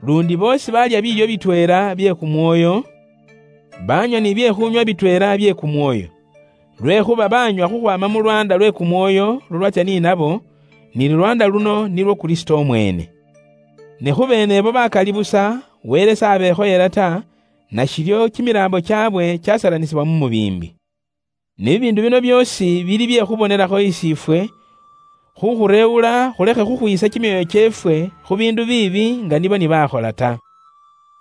Lundi boosi baalya biilyo bitweela bye kumwoyo, baanywa ni byekhunywa bitweela bye kumwoyo. Lwekhuba baanywa khukhwaama mu lwanda lwe kumwoyo lulwatsya ni nabo, ni lulwanda luno nilwo Kristo omwene. Ne khu beene ebo bakali busa, Wele sabekhoyela ta, nashiryo kimiraambo kyabwe kyasalanisibwa mu mubiimbi. Ne bibiindu bino byoosi bili bye khubonelakho isi ifwe, khukhureewula khulekhe khukhwiisa kimyoyo kyeefwe khu biindu biibi nga nibo nibakhola ta.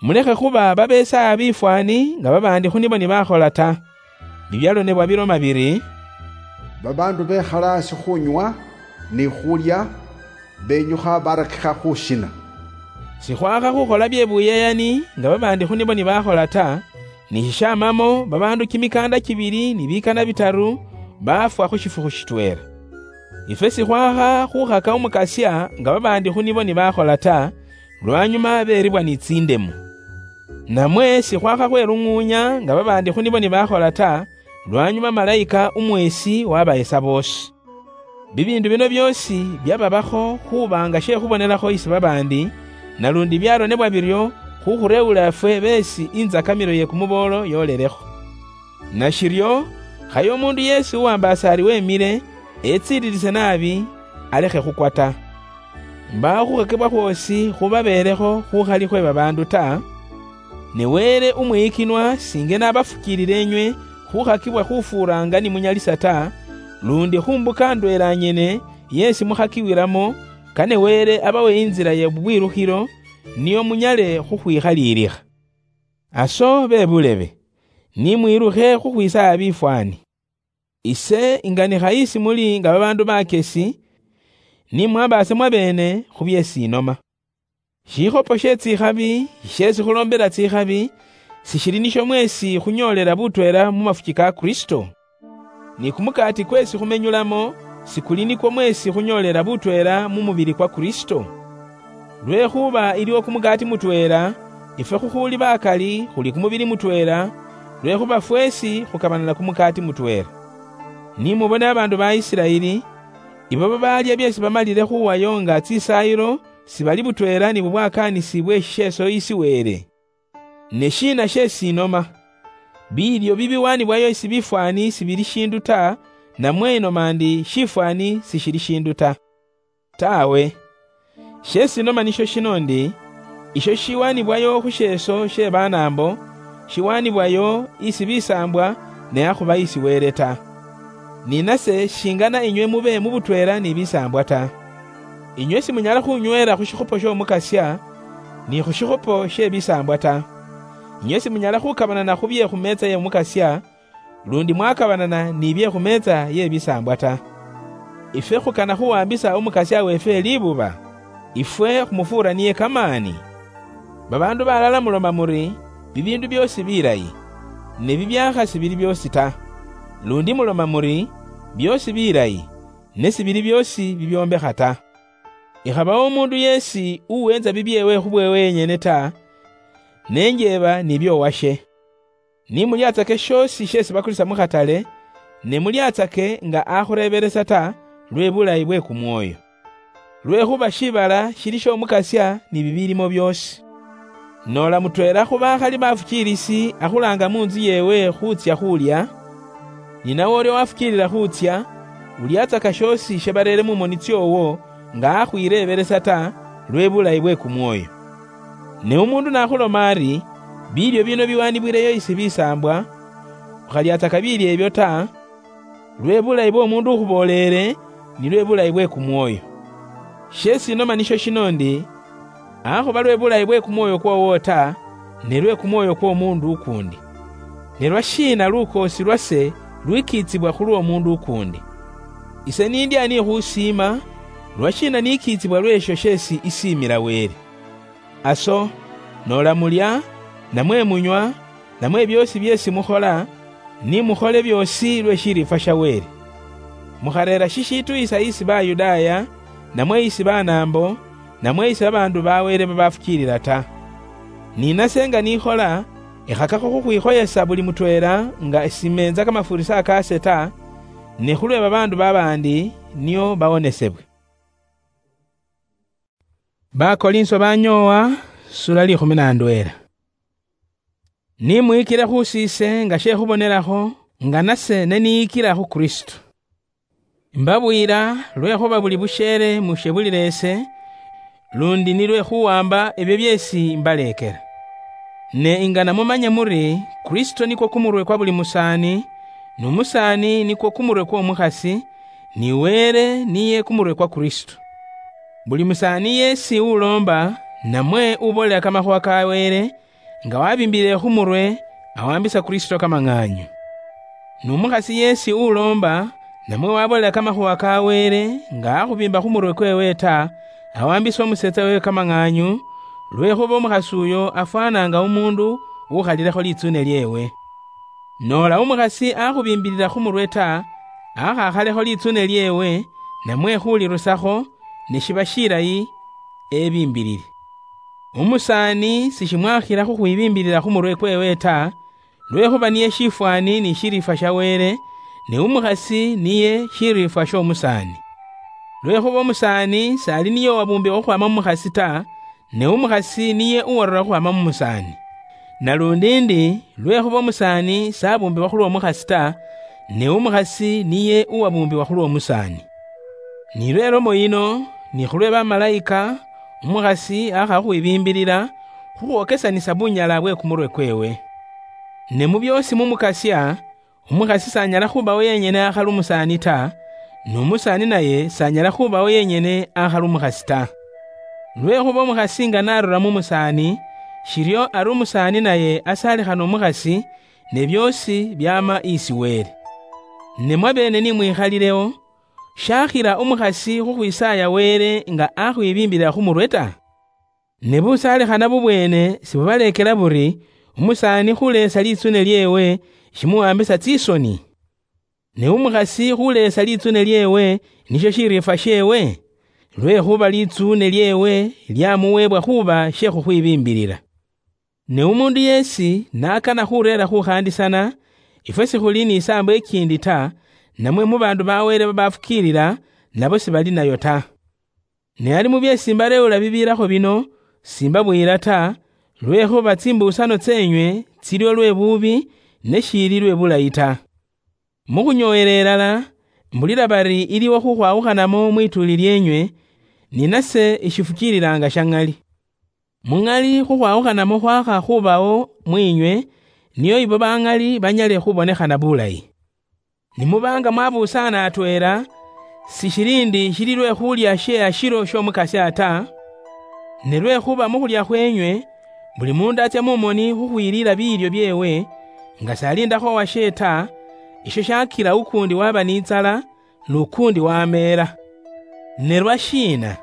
Mulekhe khuba babeesaaya bifwaani nga babaandi khu nibo nibakhola ta. Bibyalonebwa biloma biri, "Babaandu bekhala asi khunywa ni khulya, benyukha barakikha khushina." Sikhwakha khukhola bye buyeyani nga babaandi khu nibo nibakhola ta, ni shishamamo babaandu kimikaanda kibili ni bikana bitaru baafwa khu shifukhu shitweela. Ifwe sikhwakha khukhaka Umukasya nga babaandi khu nibo nibakhola ta, lwanyuma beribwa ni tsindemu. Namwe sikhwakha khwelung'uunya nga babaandi khu nibo nibakhola ta, lwanyuma malayika umweesi wabayesa boosi. Bibiindu bino byoosi byababakho khuba nga she khubonelakho isi babaandi, nalundi byaronebwa biryo khukhureewula ifwe beesi inzakamiro ye kumuboolo yoolelekho. Nashiryo, khaye umuundu yeesi uwambaasa ari wemile, etsiililise naabi, alekhe khukwa ta. Mbaawo khukhakibwa khwoosi khubabeelekho khukhali khwe babaandu ta, ne Wele umwiyikinwa singe n'abafukiilile inywe khukhakibwa khufuuraanga ni munyalisa ta, lundi khu mbuka ndweela nyene yeesi mukhakiwilamo, kane Wele abawe inzila ye bubwilukhilo, nio munyale khukhwikhaliilikha. Aso be bulebe, ni mwilukhe khukhwisaaya bifwaani. Ise inganikha isi muli nga babaandu bakesi, ni mwambaase mwabeene khu byeesi inoma. Shikhopo she tsikhabi sheesi khuloombela tsikhabi, sishili nisho mweesi khunyoolela butweela mu mafuki ka Kristo? Ni kumukaati kweesi khumenyulamo, sikuli nikwo mweesi khunyoolela butweela mu mubili kwa Kristo? Lwekhuba iliwo kumukaati mutweela, ifwe khukhuuli bakali khuli kumubili mutweela, lwekhuba fweesi khukabanana kumukaati mutweela. Ni mubone babaandu ba Isiraeli, ibo babaalya byeesi bamalile khuwayo nga tsisaayilo, sibali butweela ni bubwakaanisi bwe shisheeso isi Wele. Ne shiina sheesi inoma? Biilyo bibiwaanibwayo isi bifwaani sibili shiindu ta, namwe inoma ndi shifwaani sishili shiindu ta? Taawe. Sheesi inoma nisho shino ndi, isho shiwaanibwayo khu sheeso she banaambo, shiwaanibwayo isi bisaambwa, ne akhuba isi Wele ta. Ni nase shingana inywe mube mu butweela ni bisaambwa ta. Inywe simunyala khunyweela khu shikhopo sh'Omukasya, ni khu shikhopo she bisaambwa ta. Inywe simunyala khukabanana khu bye khu meetsa y'Omukasya, lundi mwakabanana ni bye khu meetsa ye bisaambwa ta. Ifwe khukana khuwambisa Umukasya weefwe libuba, ifwe khumufuura niye kamaani. Babaandu balala muloma muri, bibiindu byoosi bilayi, ne bibyaakha sibili byoosi ta. Lundi muloma muri, byoosi bilayi, ne sibili byoosi bibyombekha ta. Ikhabawo umuundu yeesi uweenza bibyeewe khubweewe yenyene ta, ne njeeba ni by'owashe. Ni mulyatsake shoosi sheesi bakulisa mu khatale, ne mulyatsake nga akhureebelesa ta, lwe bulayi bwe kumwoyo. Lwekhuba shiibala shili sh'Omukasya ni bibilimo byoosi. Noola mutweela khu bakhali bafukiilisi akhulaanga mu ntsu yeewe khuutsya khulya, ni nawe ulia wafukiilila khuutsya, ulyatsaka shoosi shabareere mu moni tsyoowo nga akhwireebelesa ta, lwe bulayi bwe kumwoyo. Ne umuundu nakhuloma ari, "Biilyo bino biwaanibwileyo isi bisaambwa," ukhalyatsaka biilyo ebyo ta, lwe bulayi bw'omuundu ukhubooleele, ni lwe bulayi bwe kumwoyo. Sheesi inoma nisho shino ndi, akhuba lwe bulayi bwe kumwoyo kwoowo ta, ne lwe kumwoyo kw'omuundu ukuundi. Ne lwa shiina lukoosi lwase lwikiitsibwa khulw'omuundu ukuundi? Ise nindi ani khusiima, lwa shiina nikiitsibwa lw'esho sheesi isiimila Wele? Aso, noola mulya, namwe munywa, namwe byoosi byeesi mukhola, ni mukhole byoosi lwe shiriifwa sha Wele. Mukhareera shishituyisa isi Bayudaaya, namwe isi Banaambo, namwe isi babaandu ba Wele babafukiilila ta. Ni nase nga nikhola, ekhakakho khukhwikhoyesa buli mutweela nga simeenza kamafuurisa kaase ta, ne khulwe babaandu babaandi nio bawonesebwe. Bakolinso banyoowa, sura likhumi na ndweela. Ni mwikile khu siise nga she khubonelakho, nga nase ne niyikila khu Kristo. Mbabwira, lwekhuba buli busheere mushebulire ese, lundi nilwe khuwamba ebyo byeesi mbaleekera. Ne ingana mumanye muri, Kristo nikwo kumurwe kwa buli musaani, nu musaani nikwo kumurwe kw'omukhasi, ni Wele niye kumurwe kwa Kristo. Buli musaani yeesi uloomba, namwe uboolela kamakhuwa ka Wele, nga wabimbilile khu murwe, awambisa Kristo kamang'aanyu. Nu mukhasi yeesi uloomba, namwe waboolela kamakhuwa ka Wele, nga akhubiimba khu murwe kweewe ta, awambisa omuseetsa weewe kamang'aanyu, lwekhuba omukhasi uyo afwana nga umuundu ukhalilekho litsuune lyeewe. Noola umukhasi akhubimbilila khu murwe ta, akhakhalekho litsuune lyeewe, namwe khulirusakho, ne shiba shilayi ebimbilile. Umusaani sishimwakhila khukhwibimbilila khu murwe kweewe ta, lwekhuba niye shifwani ni shiriifwa sha Wele, ne umukhasi niye shiriifwa sh'omusaani. Lwekhuba umusaani s'ali niye uwabumbibwa khukhwaama mu mukhasi ta, ne umukhasi niye uwarula khukhwaama mu musaani. Nalundi ndi, lwekhuba umusaani s'abumbibwa khulw'omukhasi ta, ne umukhasi niye uwabumbibwa khulw'omusaani. Ni lwe lomo yino, ni khulwe bamalayika, umukhasi akha khukhwibimbilila, khukhwokesanisa bunyala bwe kumurwe kweewe. Ne mu byoosi mu Mukasya, umukhasi s'anyala khubawo yenyene akhali umusaani ta, n'umusaani naye s'anyala khubawo yenyene akhali umukhasi ta. Lwekhuba umukhasi nga narura mu musaani, shiryo ari umusaani naye asaalikhana umukhasi, ne byoosi byaama isi Wele. Ne mwabeene ni mwikhalilewo, shakhila umukhasi khukhwisaaya Wele nga akhwibimbilila khu murwe ta? Ne busaalikhana bubweene sibubaleekela buri, umusaani khuleesa litsune lyeewe shimuwambisa tsisoni? Ne umukhasi khuleesa litsune lyeewe nisho shiriifwa sheewe? Lwekhuba litsune lyeewe lyamuweebwa khuba she khukhwibimbilila. Ne umuundu yeesi n'akana khureera khukhaandisana, ifwe sikhuli ni isaambo ikiindi ta, namwe mu baandu ba Wele babafukiilila, nabo sibali nayo ta. Ne ali mu byeesi mbareewula bibiirakho bino, simbabuyila ta, lwekhuba tsimbuusano tseenywe tsili olwe buubi, ne shiili lwe bulayi ta. Mu khunyooyela ilala, mbulila bari iliwo khukhwawukhanamo mwituuli lyeenywe, ni nase ishifukiililaanga sha ŋali. Mu ŋali khukhwawukhanamo khwakha khubawo mwiinywe, nio ibo ba ŋali banyale khubonekhana bulayi. Ni muba nga mwabuusaana atweela, sishili ndi shili lwe khulya she ashilo sh'Omukasya ta, ne lwekhuba mu khulya khweenywe, buli muundu atsya mu moni khukhwiliila biilyo byeewe, nga s'aliindakho owashe ta, isho shakila ukuundi waba n'itsala, n'ukuundi wameela. Ne lwashiina?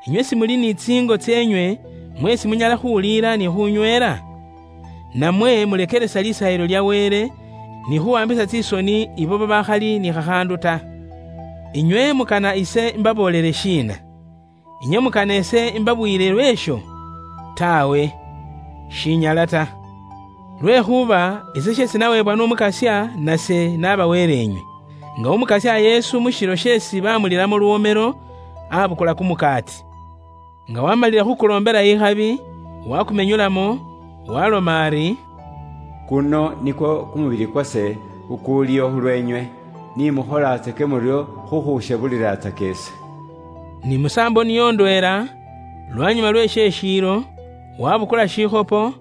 Inywe simuli ni tsiingo tseenywe mweesi munyala khuliila ni khunyweela? Namwe mulekelesa Lisaayilo lya Wele, ni khuwambisa tsisoni ibo babakhali ni khakhaandu ta. Inywe mukana ise imbaboolele shiina? Inywe mukana ise imbabuyile lwesho? Taawe, shinyala ta. Lwekhuba ise sheesi naweebwa n'Omukasya, nase nabaweleenywe. Nga Omukasya Yesu mu shilo sheesi bamulilamo luwomelo, abukula kumukaati. Nga wamalile khukuloombela ikhabi, wakumenyulamo, waloma ari, "Kuno nikwo kumubili kwase kukuuliho khulweenywe, ni mukholatsake muryo khukhushebuliratsaka ise." Ni musaambo niyo ndweela, lwanyuma lwe sheshiilo, wabukula shikhopo,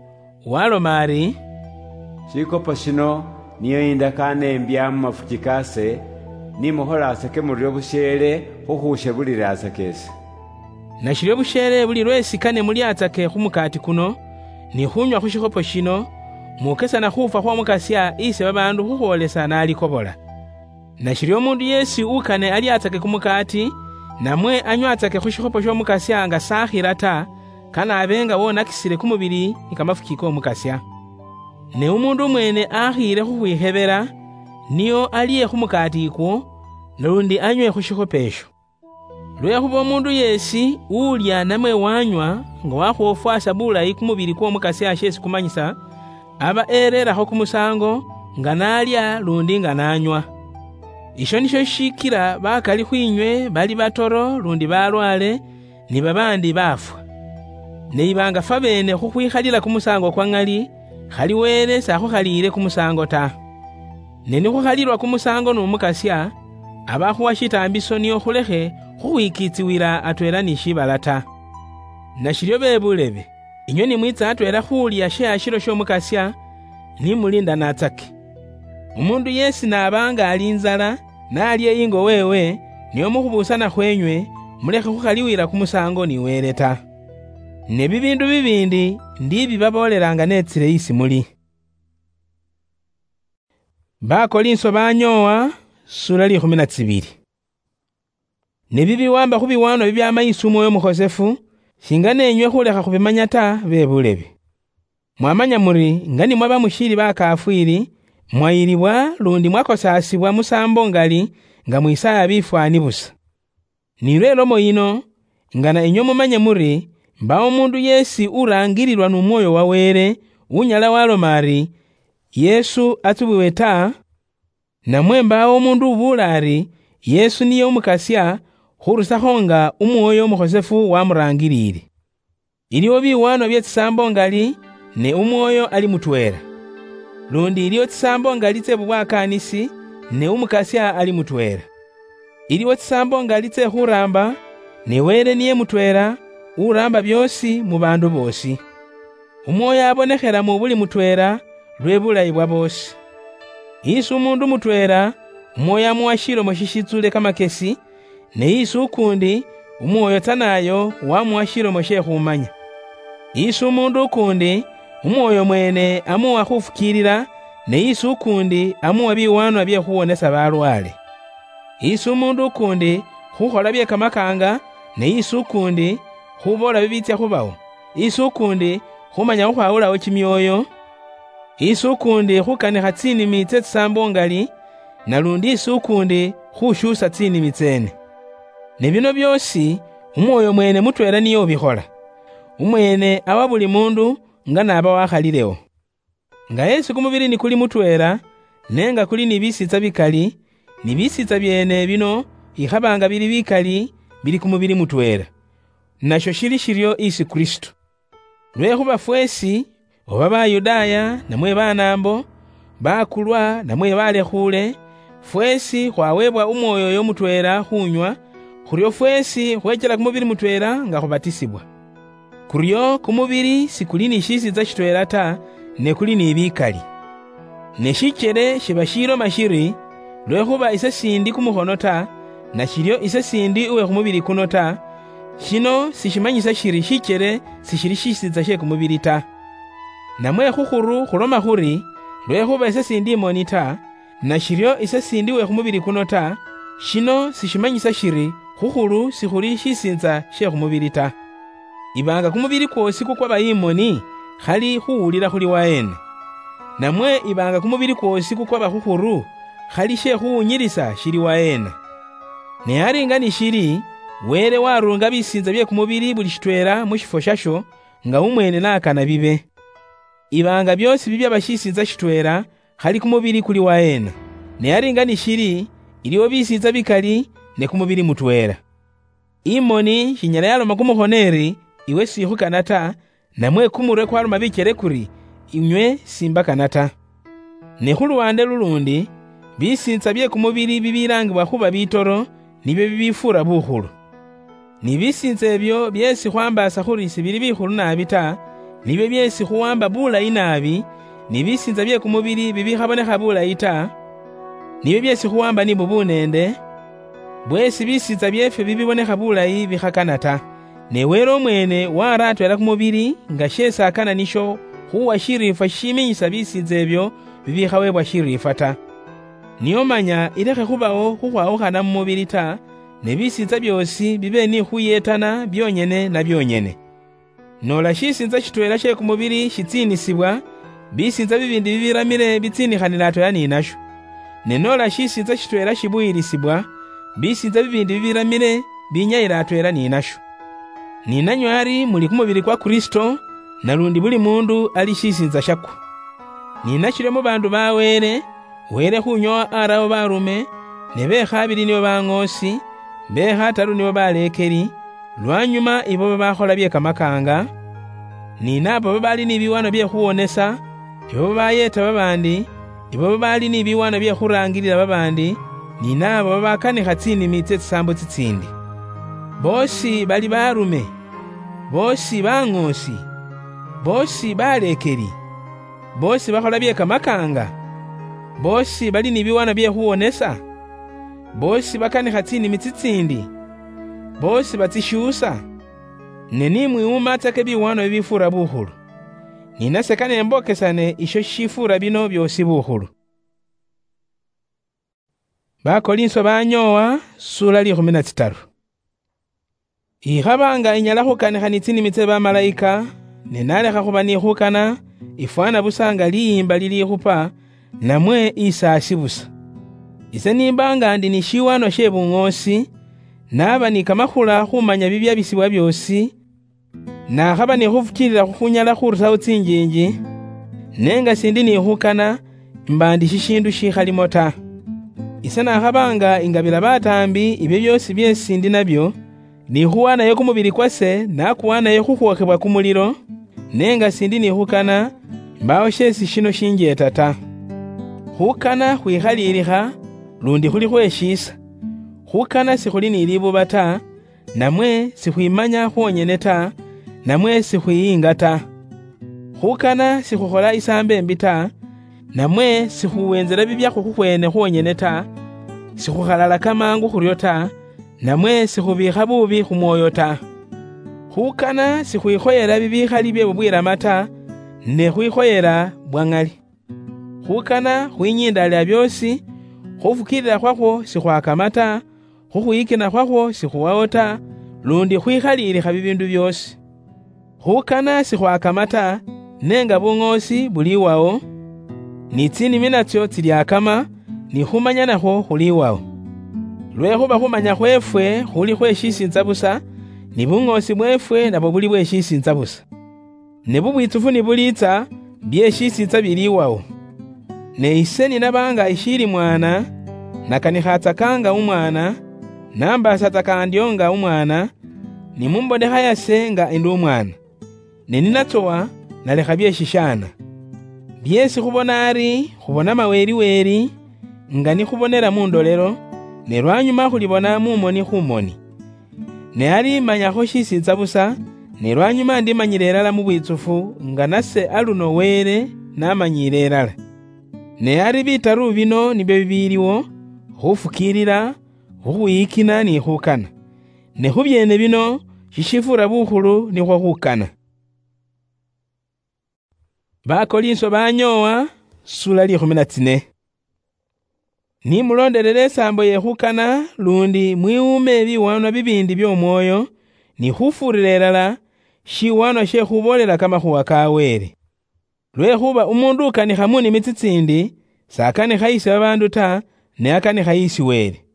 waloma ari, "Shikhopo shino niyo indakaano imbya mu mafuki kase, ni mukholatsake muryo busheele khukhushebuliratsaka ise." Nashiryo busheele buli lweesi kane mulyatsake khu mukaati kuno, ni khunywa khu shikhopo shino, muukesana khuufwa khw'Omukasya ise babaandu khukhwoolesa n'alikobola. Nashiryo omuundu yeesi ukane alyatsake kumukaati, namwe anywatsake khu shikhopo sh'Omukasya nga sakhila ta, kane abe nga wonakisile kumubili ni kamafuki k'Omukasya. Ne umuundu umweene akhiile khukhwikhebela, nio alye khu mukaati ikwo, nalundi anywe khu shikhopo esho. Lwekhuba umuundu yeesi uulya namwe wanywa nga wakhwofwasa bulayi kumubili kw'Omukasya sheesi kumanyisa, aba ereerakho kumusaango nga naalya lundi nga naanywa. Isho nisho shishikila bakali khwinywe bali batoro lundi balwaale, ni babaandi baafwa. Ne iba nga fwabeene khukhwikhalila kumusaango kwa ŋali, khali Wele s'akhukhaliile kumusaango ta. Ne nikhukhalilwa kumusaango n'Omukasya, abakhuwa shitaambiso nio khulekhe khukhwikitsiwila atweela ni shiibala ta. Nashilio bebulebe, inywe nimwitsa atweela khulia she hashilo shiomukasia, nimulinda natsake. Umundu yeesi naaba nga ali inzala, naalie ingo weewe, nio mukhubusana khwenywe, mulekhe khukhaliwila kumusango ni Wele ta. Ne bibiindu bibiindi ndibibaboolelanga netsile isi muli. Bakolinso banyoowa, sura likhumi na tsibili. Ne bibiwamba khu biwaanwa bibyama isi Umwoyo Umukhosefu, shinga nenywe khulekha khubimanya ta, bebulebe. Mwamanya muri nga ni mwaba mushiili bakafwiili, mwayilibwa lundi mwakosaasibwa musaambo ngali nga mwisaaya bifwaani busa. Ni lwe lomo yino, ngana inywe mumanye muri, mbaawo umuundu yeesi uraangililwa nu Mwooyo wa Wele, unyala waloma ari, "Yesu atsubwiwe ta," namwe mbaawo umuundu ubuula ari, "Yesu niye Umukasya," khurusakho nga Umwoyo Umukhosefu wamuraangiliile. Iliwo biwaanwa bye tsisaambo ngali, ne Umwoyo ali mutweela. Lundi iliwo tsisaambo ngali tse bubwakaanisi, ne Umukasya ali mutweela. Iliwo tsisaambo ngali tse khuraamba, ne Wele niye mutweela, uraamba byoosi mu baandu boosi. Umwoyo abonekhela mu buli mutweela lwe bulayi bwa boosi. Isi umuundu mutweela, Umwoyo amuwa shilomo shishitsule kamakesi, ne isi ukuundi, Umwoyo tsanayo wamuwa shilomo she khumanya. Isi umuundu ukuundi, Umwoyo mwene amuwa khufukiilila, ne isi ukuundi amuwa biwaanwa bye khuwonesa balwaale. Isi umuundu ukuundi khukhola bye kamakaanga, ne isi ukuundi khuboola bibiitsya khubawo, isi ukuundi khumanya khukhwawulawo kimyoyo, isi ukuundi khukanikha tsinimi tse tsisaambo ngali, nalundi isi ukuundi khushuusa tsinimi tseene. Ne bino byoosi, Umwoyo mweene mutweela niye ubikhola. Umweene awa buli muundu nga n'aba wakhalilewo. Nga yeesi kumubili nikuli mutweela, ne nga kuli ni bisiitsa bikali, ni bisiitsa byeene bino ikhaba nga bili bikali, bili kumubili mutweela. Nasho shili shiryo isi Kristo. Lwekhuba fweesi, oba Bayudaaya namwe Banaambo, bakulwa namwe balekhuule, fweesi khwaweebwa Umwoyo oyo mutweela khuunywa, khuryo fweesi khweechela kumubili mutweela nga khubatisibwa. Kuryo kumubili sikuli ni shisiitsa shitweela ta, ne kuli ni bikali. Ne shikyele shiba shiloma shiri, "Lwekhuba ise sindi kumukhono ta, nashiryo ise sindi uwe khumubili kuno ta," shino sishimanyisa shiri shikyele sishili shisiitsa she kumubili ta. Namwe khukhuru khuloma khuri, "Lwekhuba ise sindi imoni ta, nashiryo ise sindi uwe khumubili kuno ta," shino sishimanyisa shiri khukhuru sikhuli shisiitsa she khumubili ta. Iba nga kumubili kwoosi kukwaba imoni, khali khuwulila khuli waheena? Namwe iba nga kumubili kwoosi kukwaba khukhuru, khali she khuwunyilisa shili waheena? Ne ari nga nishili, Wele waruunga bisiintsa bye kumubili buli shitweela mu shifwo shasho, nga umweene n'akana bibe. Iba nga byoosi bibyaba shisiintsa shitweela, khali kumubili kuli waheena? Ne ari nga nishili, iliwo bisiintsa bikali, ne kumubili mutweela. Imoni shinyala yaloma kumukhono eri, "Iwe sikhukana ta," namwe kumurwe kwaloma bikyele kuri, "Inywe simbakana ta." Ne khu luwande lulundi, bisiintsa bye kumubili bibilaangibwa khuba bitoro, nibyo bibifuura bukhulu. Ni bisiintsa ebyo byeesi khwambaasa khuri sibili bikhulu naabi ta, nibyo byeesi khuwamba bulayi naabi, ni bisiintsa bye kumubili bibikhabonekha bulayi ta, nibyo byeesi khuwamba ni bubuneende, bweesi bisiintsa byeefwe bibibonekha bulayi bikhakana ta. Ne Wele umweene wara atweela kumubili nga sheesi akana nisho khuwa shiriifwa shishiminyisa bisiintsa ebyo bibikhaweebwa shiriifwa ta. Niyo manya ilekhe khubawo khukhwawukhana mu mubili ta, ne bisiintsa byoosi bibe ni khuyeetana byonyene na byonyene. Noola shisiintsa shitweela she kumubili shitsiinisibwa, bisiintsa bibiindi bibiramile bitsiinikhanila atweela ni nasho. Ne noola shisiintsa shitweela shibuyilisibwa, bisiintsa bibiindi bibiramile binyayila atweela ni nasho. Ni nanywe ari muli kumubili kwa Kristo, nalundi buli muundu ali shisiintsa shakwo. Ni nashiryo mu baandu ba Wele, Wele khunyowa arawo barume, ne be khabili nibo baŋoosi, be khataru nibo baleekeli, lwanyuma ibo babakhola bye kamakaanga, ni naabo babaali ni biwaanwa bye khuwonesa, ibo babayeeta babaandi, ibo babaali ni biwaanwa bye khuraangilila babaandi, ni naabo babakanikha tsinimi tsie tsisaambo tsitsiindi. Boosi bali baarume, boosi bang'oosi, boosi baleekeli, boosi bakhola bye kamakaanga, boosi bali ni biwaanwa bye khuwonesa, boosi bakanikha tsinimi tsitsiindi, boosi batsishuusa. Ne ni mwiwumatsake biwaanwa bibifuura bukhulu. Ni nase kane mbokesane isho shishifuura bino byoosi bukhulu. Bakolinso banyoowa, sula liikhumi na tsitaru. Ikhaba nga inyala khukanikha ni tsinimi tsie bamalayika, ne nalekha khuba ni khukana, ifwana busa nga liimba lilikhupa, namwe isaasi busa. Ise nimba nga ndi ni shiwanwa shie bung'oosi, naba ni kamakhula khumanya bibyabisibwa byoosi, nakhaba ni khufukiilila khu khunyala khurusaho tsinjiinji, ne nga sindi ni khukana, mba ndi shishiindu shikhalimo ta. Ise nakhaba nga ingabila bataambi ibyo byoosi byeesi ndi nabyo, ni khuwanayo kumubili kwase nakuwanayo khu khwokhebwa kumulilo, ne nga sindi ni khukana, mbawo sheesi shino shinjeeta ta. Khukana khwikhaliilikha, lundi khuli khweshiisa. Khukana sikhuli ni libuba ta, namwe sikhwimanya khwonyene ta, namwe sikhwiyiinga ta. Khukana sikhukhola isaambo imbi ta, namwe sikhuwenzela bibyakhwo khukhwene khwonyene ta, sikhukhalalaka mangu khuryo ta, namwe sikhubiikha buubi khu mwoyo ta. Khukana sikhwikhoyela bibikhali bye bubwirama ta, ne khwikhoyela bwa ŋali. Khukana khwinyindaalila byoosi, khufukiilila khwakhwo sikhwakama ta, khukhwiyikina khwakhwo sikhuwawo ta, lundi khwikhaliilikha bibiindu byoosi. Khukana sikhwakama ta, ne nga buŋoosi buliiwawo, ni tsinimi natsio tsiliakama, ni khumanya nakhwo khuliiwawo. Lwekhuba khumanya khweefwe khuli khweshisiintsa busa, ni buŋoosi bweefwe nabwo buli bweshisiintsa busa. Ne bubwitsufu nibuliitsa, byeshisiitsa biliiwawo. Ne ise ninaba nga ishiili mwana, nakanikhatsaka nga umwana, nambaasatsa kandyo nga umwana, nimumbonekha yase nga ndi umwana. Ne ninatsowa, nalekha byeshishaana. Byeesi khubona ari khubona maweliweli, nga nikhubonera mu ndolelo, ne lwanyuma khulibona mu moni khu moni. Ne ari manyakho shisiitsa busa, ne lwanyuma ndimanyile ilala mu bwitsufu, nga nase aluno Wele namanyiile ilala. Ne ari bitaru bino nibyo bibiliwo: khufukiilila, khukhwiyikina ni khukana. Ne khu byeene bino, shishifuura bukhulu nikhwo khukana. Bakolinso banyoowa, sula liikhumi na tsine. Ni muloondelele isaambo ye khukana, lundi mwiwuume biwaanwa bibiindi by'Omwooyo, ni khufuurira ilala shiwaanwa she khuboolela kamakhuuwa ka Wele. Lwekhuba umuundu ukanikha mu nimi tsitsiindi, s'akanikha isi babaandu ta, ne akanikha isi Wele.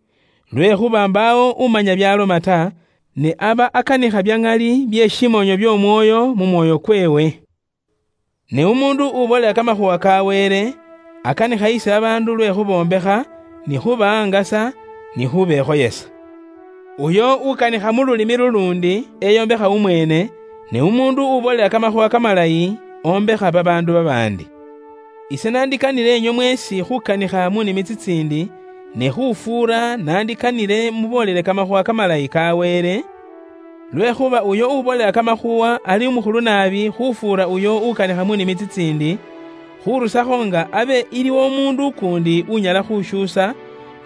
Lwekhuba mbaawo umanya byaloma ta, ne aba akanikha bya ŋali bye shimoonyo by'Omwooyo mu mwoyo kweewe. Ne umuundu uboolela kamakhuuwa ka Wele, akanikha isi babaandu lwe khuboombekha, ni khubahangasa, ni khubekhoyesa. Uyo ukanikha mu lulimi luluundi, eyombekha umweene, ne umuundu uboolela kamakhuuwa kamalayi, ombekha babaandu babaandi. Ise nandikanile enywe mweesi khukanikha mu nimi tsitsiindi, ne khufuura nandikanile muboolele kamakhuuwa kamalayi ka Wele, lwekhuba uyo uboolela kamakhuuwa ali umukhulu naabi khufuura uyo ukanikha mu nimi tsitsiindi, khurusakho nga abe iliwo umuundu ukuundi unyala khushuusa,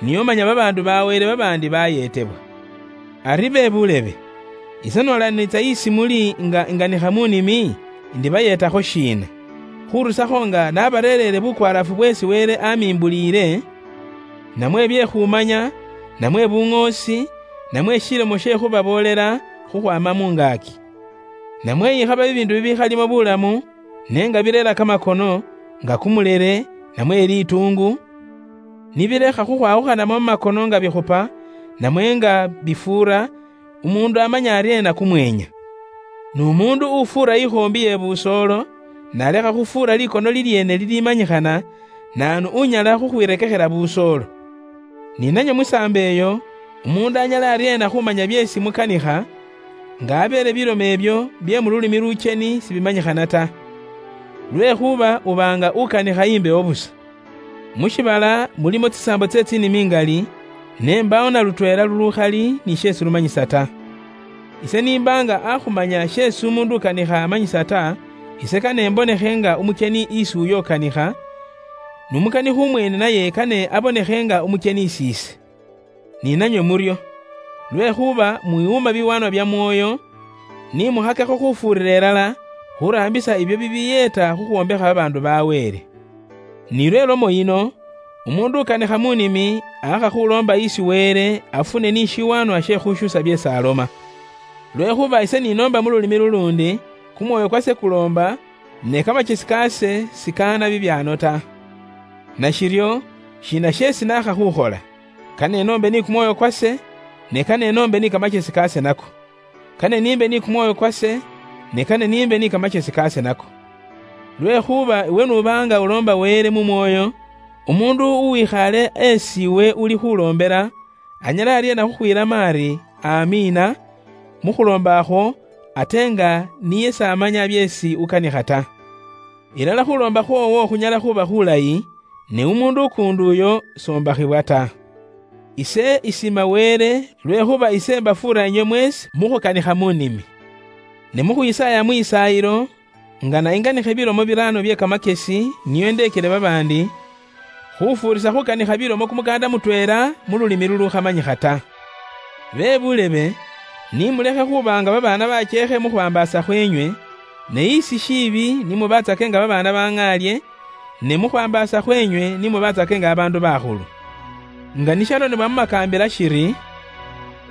niyo manya babaandu ba Wele babaandi bayeetebwa. Ari be buulebe, ise noola niitsa isi muli nga inganikha mu nimi, ndibayeetakho shiina? Khurusakho nga nabareerere bukwaarafu bweesi Wele amimbuliile, namwe bye khumanya, namwe buŋoosi, namwe shilomo she khubaboolela khukhwaama mu ngaaki. Namwe yikhaba bibiindu bibikhalimo bulamu, ne nga bireera kamakono, nga kumulere, namwe lituungu, nibilekha khukhwawukhanamo mu makono nga bikhupa, namwe nga bifuura, umuundu amanya aryeena kumweenya? N'umuundu ufuura ikhoombi ye busoolo, nalekha khufuura likono lilyeene lilimanyikhana, naanu unyala khukhwirekekhela busoolo? Ni nanywe mu saambo eyo, umuundu anyala aryeena khumanya byeesi mukanikha, nga abeele bilomo ebyo bye mu lulimi lucheni sibimanyikhana ta? Lwekhuba uba nga ukanikha imbewo busa. Mu shiibala mulimo tsisaambo tsye tsinimi ingali, Ne mbawo na lutweela lulukhali ni sheesi lumanyisa ta. Ise nimbanga akhumanya sheesi umundu ukanikha amanyisa ta, ise kane mbonekhe nga umucheni isi uyo ukanikha, n'umukanikhi umweene naye kane abonekhe nga umucheni isi ise. Ni nanywe muryo. Lwekhuba mwiwuma biwaanwa bya Mwoyo, ni mukhakekho khufuurira ilala khuraambisa ibyo bibiyeeta khukhwombekha babaandu ba Wele. Ni lwe lomo yino, umuundu ukanikha mu nimi aakha khuloomba isi Wele afune ni shiwaanwa she khushusa byeesi aloma. Lwekhuba ise ninoomba mu lulimi luluundi, kumwoyo kwase kuloomba, ne kamachesi kaase sikaana bibyaano ta. Nashiryo, shiina sheesi naakha khukhola? Kane noombe ni kumwoyo kwase, ne kane noombe ni kamachesi kaase nako. Kane niimbe ni kumwoyo kwase, ne kane niimbe ni kamachesi kaase nako. Lwekhuba iwe nuba nga uloomba Wele mu mwoyo, umuundu uwikhaale esi iwe uli khuloombela, anyala aryeena khukhwiilamo ari, "Amiina," mu khuloomba akhwo, ate nga niye s'amanya byeesi ukanikha ta? Ilala khuloomba khwoowo khunyala khuba khulayi, ne umuundu ukuundi uyo soombakhibwa ta. Ise isiima Wele, lwekhuba ise mbafuura inywe mweesi mu khukanikha mu nimi. Ne mu khwisaaya mwisaayilo, nga nainganikhe bilomo biraano bye kamakesi nio ndeekele babaandi, khufuurisa khukanikha bilomo kumukaanda mutweela mu lulimi lulukhamanyikha ta. Be bulebe, ni mulekhe khuba nga babaana bacheekhe mu khwambaasa khweenywe, ne isi shiibi ni mubatsake nga babaana bang'aalie, ne mu khwambaasa khweenywe ni mubatsake nga babaandu bakhulu. Nga nishalonebwa mu makaambila shiri,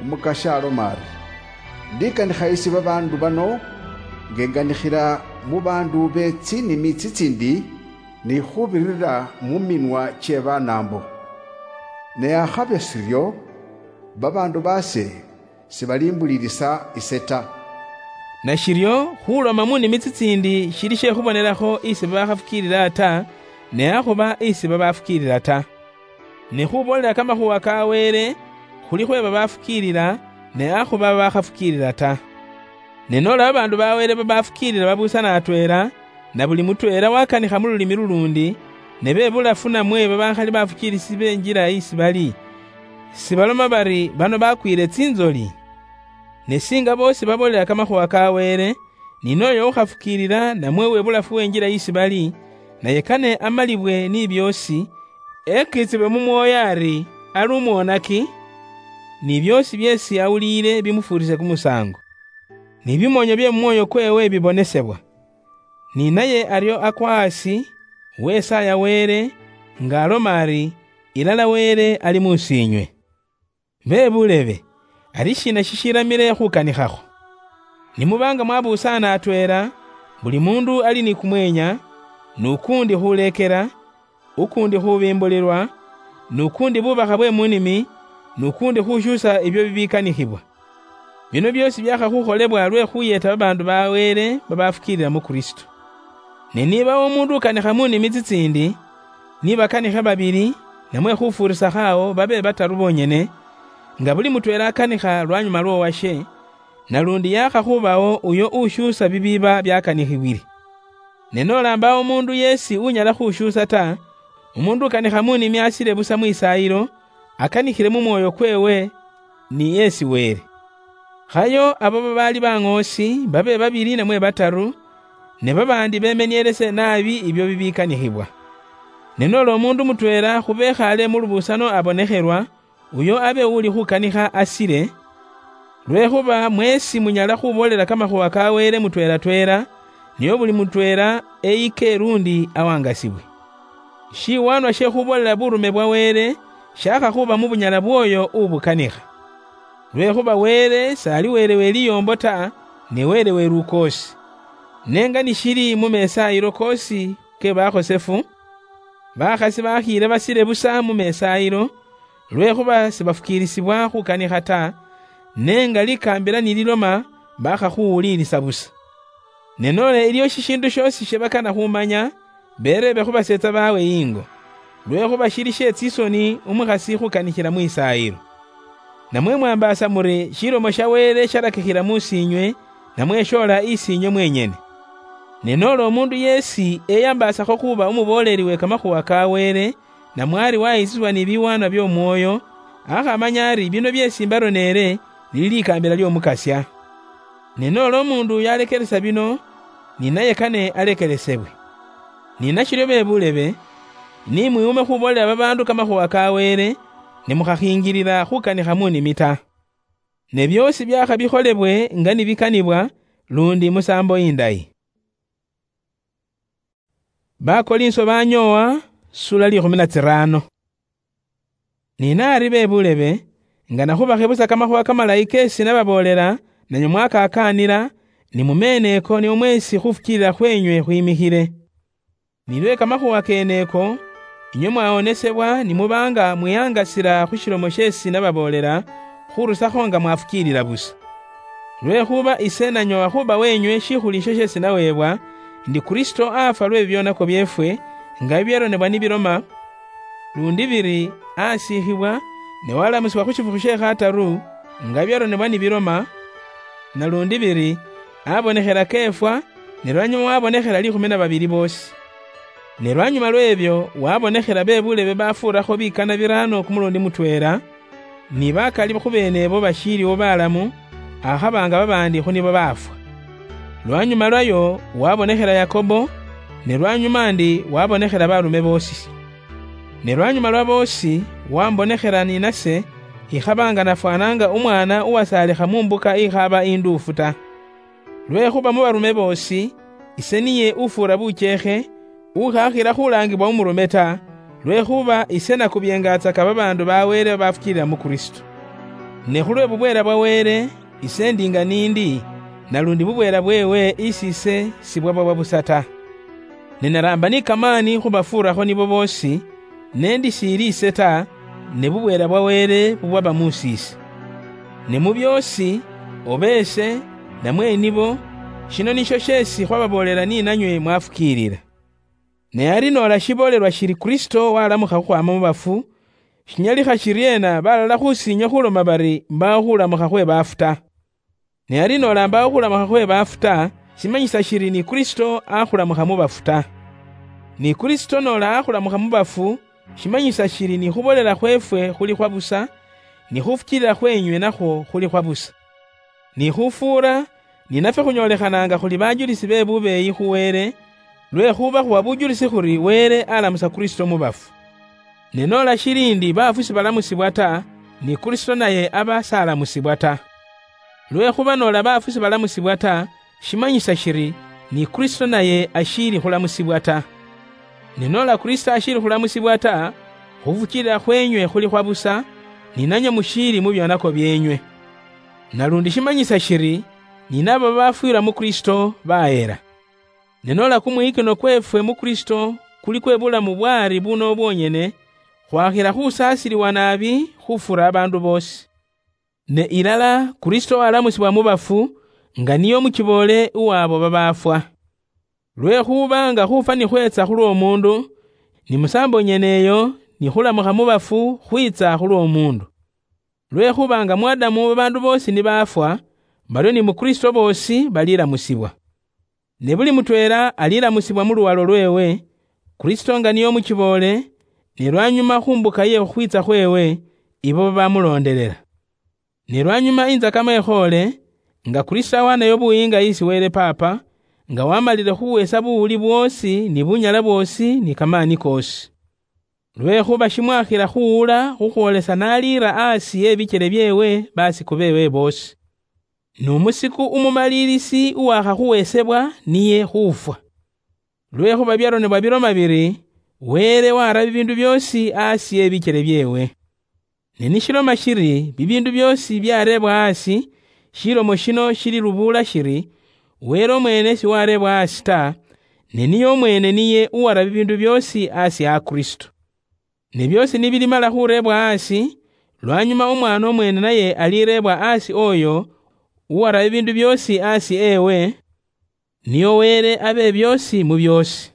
"Umukasya aloma ari, 'Ndikanikha isi babaandu bano, nga enganikhila mu baandu be tsinimi tsitsiindi, ni khubirira mu minwa kye Banaambo.' Ne akhabe siryo, babaandu baase sibalimbulirisa ise ta." Nashiryo, khuloma mu nimi tsitsiindi shili she khubonelakho isi babakhafukiilila ta, ne akhuba isi babafukiilila ta. Ne khuboolela kamakhuwa ka Wele, khuli khwe babafukiilila, ne akhuba babakhafukiilila ta. Ne nola babaandu ba Wele babafukiilila babuusana atweela, na buli mutweela wakanikha mu lulimi luluundi, ne be bulafu namwe babakhali bafukiilisi be njila isi bali, sibaloma bari, "Bano bakwiile tsinzoli"? Ne singa boosi baboolela kamakhuwa ka Wele, ni noyo ukhafukiilila namwe uwe bulafu wenjila isi bali, naye kane amalibwe ni byoosi, ekiitsibwe mu mwoyo ari, ali umwonaki, ni byoosi byeesi awuliile bimufuurise kumusaango. Ni bimoonyo bye mu mwoyo kweewe bibonesebwa. Ni naye aryo akwa asi, wesaaya Wele, nga aloma ari, "Ilala Wele ali muusiinywe." Be buleebe, ari shiina shishiramile khukanikhakho? Ni muba nga mwabuusaana atweela, buli muundu ali ni kumweenya, n'ukuundi khuleekela, ukuundi khubimbulilwa, n'ukuundi bubakha bwe mu nimi, n'ukuundi khushuusa ibyo bibikanikhibwa. Bino byoosi byaakha khukholebwa lwe khuyeeta babaandu ba Wele babafukiilila mu Kristu. Ne niba umuundu ukanikha mu nimi tsitsiindi, ni bakanikhe babili, namwe khufuurisakho awo babe bataru boonyene, nga buli mutweela akanikha lwanyuma lw'owashe, nalundi yaakha khubawo uyo ushuusa bibiiba byakanikhibwile. Ne nola mbawo umuundu yeesi unyala khushuusa ta, umuundu ukanikha mu nimi asile busa mwisaayilo, akanikhile mu mwoyo kweewe, ni yeesi Wele. Khayo abo babaali baŋoosi babe babili namwe bataru, ne babaandi bemenielese naabi ibyo bibikanikhibwa. Ne nola umuundu mutweela khu bekhaale mu lubuusano abonekhelwa, uyo abe uli khukanikha asile, lwekhuba mweesi munyala khuboolela kamakhuwa ka Wele mutweela-tweela, nio buli mutweela eyike lundi awangasibwe. Shiwaanwa she khuboolela burume bwa Wele shaakha khuba mu bunyala bw'oyo ubukanikha. Lwekhuba Wele s'ali Wele we liyoombo ta, ne Wele we lukoosi. Ne nga nishili mu mesaayilo koosi ke bakhosefu, bakhasi bakhiile basile busa mu mesaayilo, lwekhuba sibafukiilisibwa khukanikha ta, ne nga likaambila nililoma, bakha khuwuliilisa busa. Ne nola iliyo shishiindu shoosi shibakana khumanya, bereebe khu baseetsa baawe ingo, lwekhuba shili she tsisoni umukhasi khukanikhila mwisaayilo. Namwe mwambaasa muri shilomo sha Wele shalakikhila muusiinywe, namwe shoola isiinywe mwenyene? Ne nola omuundu yeesi eyambaasakho khuuba umubooleli we kamakhuwa ka Wele, namwe ari wayitsisibwa ni biwaanwa by'Omwooyo, Akhamanya ari bino byesi mbaroneere nili likambila ly'Omukasya. Ne noola omuundu yalekeresa bino, ni naye kane alekeresebwe. Ni nashiryo bebulebe, ni mwiwume khuboolela babaandu kamakhuwa ka Wele, ne mukhakhiingilila khukanikha mu nimi ta. Ne byoosi byakha bikholebwe nga nibikanibwa, lundi musaambo indayi. Bakolinso banyoowa, sula likhumi na tsirano. Ni naari bebulebe, ngana khubakhe busa kamakhuwa kamalayi keesi nababoolela, nanywe mwakakaanila, ni mu meeno eko nio mweesi khufukiilila khweenywe khwimikhile. Ni lwe kamakhuwa keene eko, inywe mwawonesebwa ni muba nga mwihangasila khu shilomo sheesi nababoolela, khurusakho nga mwafukiilila busa. Lwekhuba ise nanyoowa khuba weenywe shikhuliisho sheesi naweebwa, ndi Kristo afwa lwe bibyonako byeefwe, nga bibyaronebwa nibiloma, lundi biri, asiikhibwa, ne walamusibwa khu shifukhu she khataru, nga bibyaronebwa nibiloma, nalundi biri, abonekhela keefwa, ne lwanyuma wabonekhela likhumi na babili boosi. Ne lwanyuma lw'ebyo wabonekhela bebulebe bafuurakho bikana biraano kumulundi mutweela, ni bakali khu beenebo bashiiliwo balamu, akhaba nga babaandi khu nibo baafwa. Lwanyuma lwayo wabonekhela Yakobo, ne lwanyuma ndi wabonekhela barume boosi. Ne lwanyuma lwa boosi, wambonekhela ni nase, ikhaba nga nafwananga umwana uwasaalikha mu mbuka ikhaba induufu ta. Lwekhuba mu barume boosi, ise niye ufuura bukyekhe, ukhakhila khulaangibwa umurume ta, lwekhuba ise nakubyengatsaka babaandu ba Wele babafukiilila mu Kristo. Ne khulwe bubweela bwa Wele, ise ndi nga niindi, nalundi bubweela bweewe isi ise sibwaba bwa busa ta. Ne naraamba ni kamaani khubafuurakho nibo boosi, ne ndi shiili ise ta, ne bubweela bwa Wele bubwaba muusi ise. Ne mu byoosi, oba ese, namwe nibo, shino nisho sheesi khwababoolela ni nanywe mwafukiilila. Ne ari noola shiboolelwa shiri Kristo walamukha khukhwaama mu bafu, shinyalikha shiryeena balala khusiinywe khuloma bari mbaawo khulamukha khwe baafu ta? Ne ari noola mbaawo khulamukha khwe baafu ta, shimanyisa shiri ni Kristo akhulamukha mu bafu ta. Ni Kristo noola akhulamukha mu bafu, shimanyisa shiri ni khubolela khweefwe khuli khwa busa, ni khufukiilila khweenywe nakhwo khuli khwa busa. Ni khufuura, ni nafwe khunyoolekhananga khuli bajulisi be bubeeyi khu Wele, lwekhuba khuwa bujulisi khuri Wele alamusa Kristo mu bafu. Ne noola shili ndi baafu sibalamusibwa ta, ni Kristo naye aba salamusibwa ta. Lwekhuba noola baafu sibalamusibwa ta, shimanyisa shiri ni Kristo naye ashiili khulamusibwa ta. Ne noola Kristo ashiili khulamusibwa ta, khufukiilila khweenywe khuli khwa busa, ni nanywe mushiili mu byonako byeenywe. Nalundi shimanyisa shiri, ni nabo babafwiila mu Kristo baheera. Ne noola kumwiyikino kweefwe mu Kristo kuli kwe bulamu bwaari buno bwonyene, khwakhila khusaasiliwa naabi khufuura abaandu boosi. Ne ilala Kristo walamusibwa mu bafu, nga niye omukiboole uw'abo babaafwa. Lwekhuba nga khuufwa nikhweetsa khulw'omuundu, ni musaambo nyene eyo ni khulamukha mu bafu khwiitsa khulw'omuundu. Lwekhuba nga mu Adamu babaandu boosi nibaafwa, baryo ni mu Kristo boosi balilamusibwa. Ne buli mutweela alilamusibwa mu luwalo lweewe, Kristo nga niye omukiboole, ne lwanyuma khu mbuka ye khukhwiitsa khweewe, ibo babamuloondelela. Ne lwanyuma inzakamo ekhoole, nga Kristo awanayo buyiinga isi Wele Paapa, nga wamalile khuweesa buwuli bwoosi ni bunyala bwoosi ni kamaani koosi. Lwekhuba shimwakhila khuwula khukhwolesa n'aliira aasi ebikyele byeewe basiku beewe boosi. N'omusiku umumaliirisi uwakhakhuweesebwa niye khufwa. Lwekhuba byaronebwa biloma biri, Wele wara bibiindu byoosi aasi ebikyele byeewe. Ne nishiloma shiri bibiindu byoosi byareebwa aasi, shilomo shino shili lubuula shiri, Wele omweene siwareebwa aasi ta, ne niye omweene niye uwara bibiindu byoosi aasi a Kristo. Ne byoosi nibilimala khureebwa aasi, lwanyuma Omwaana omweene naye alireebwa aasi oyo uwara bibiindu byoosi aasi ewe, niyo Wele abe byoosi mu byoosi.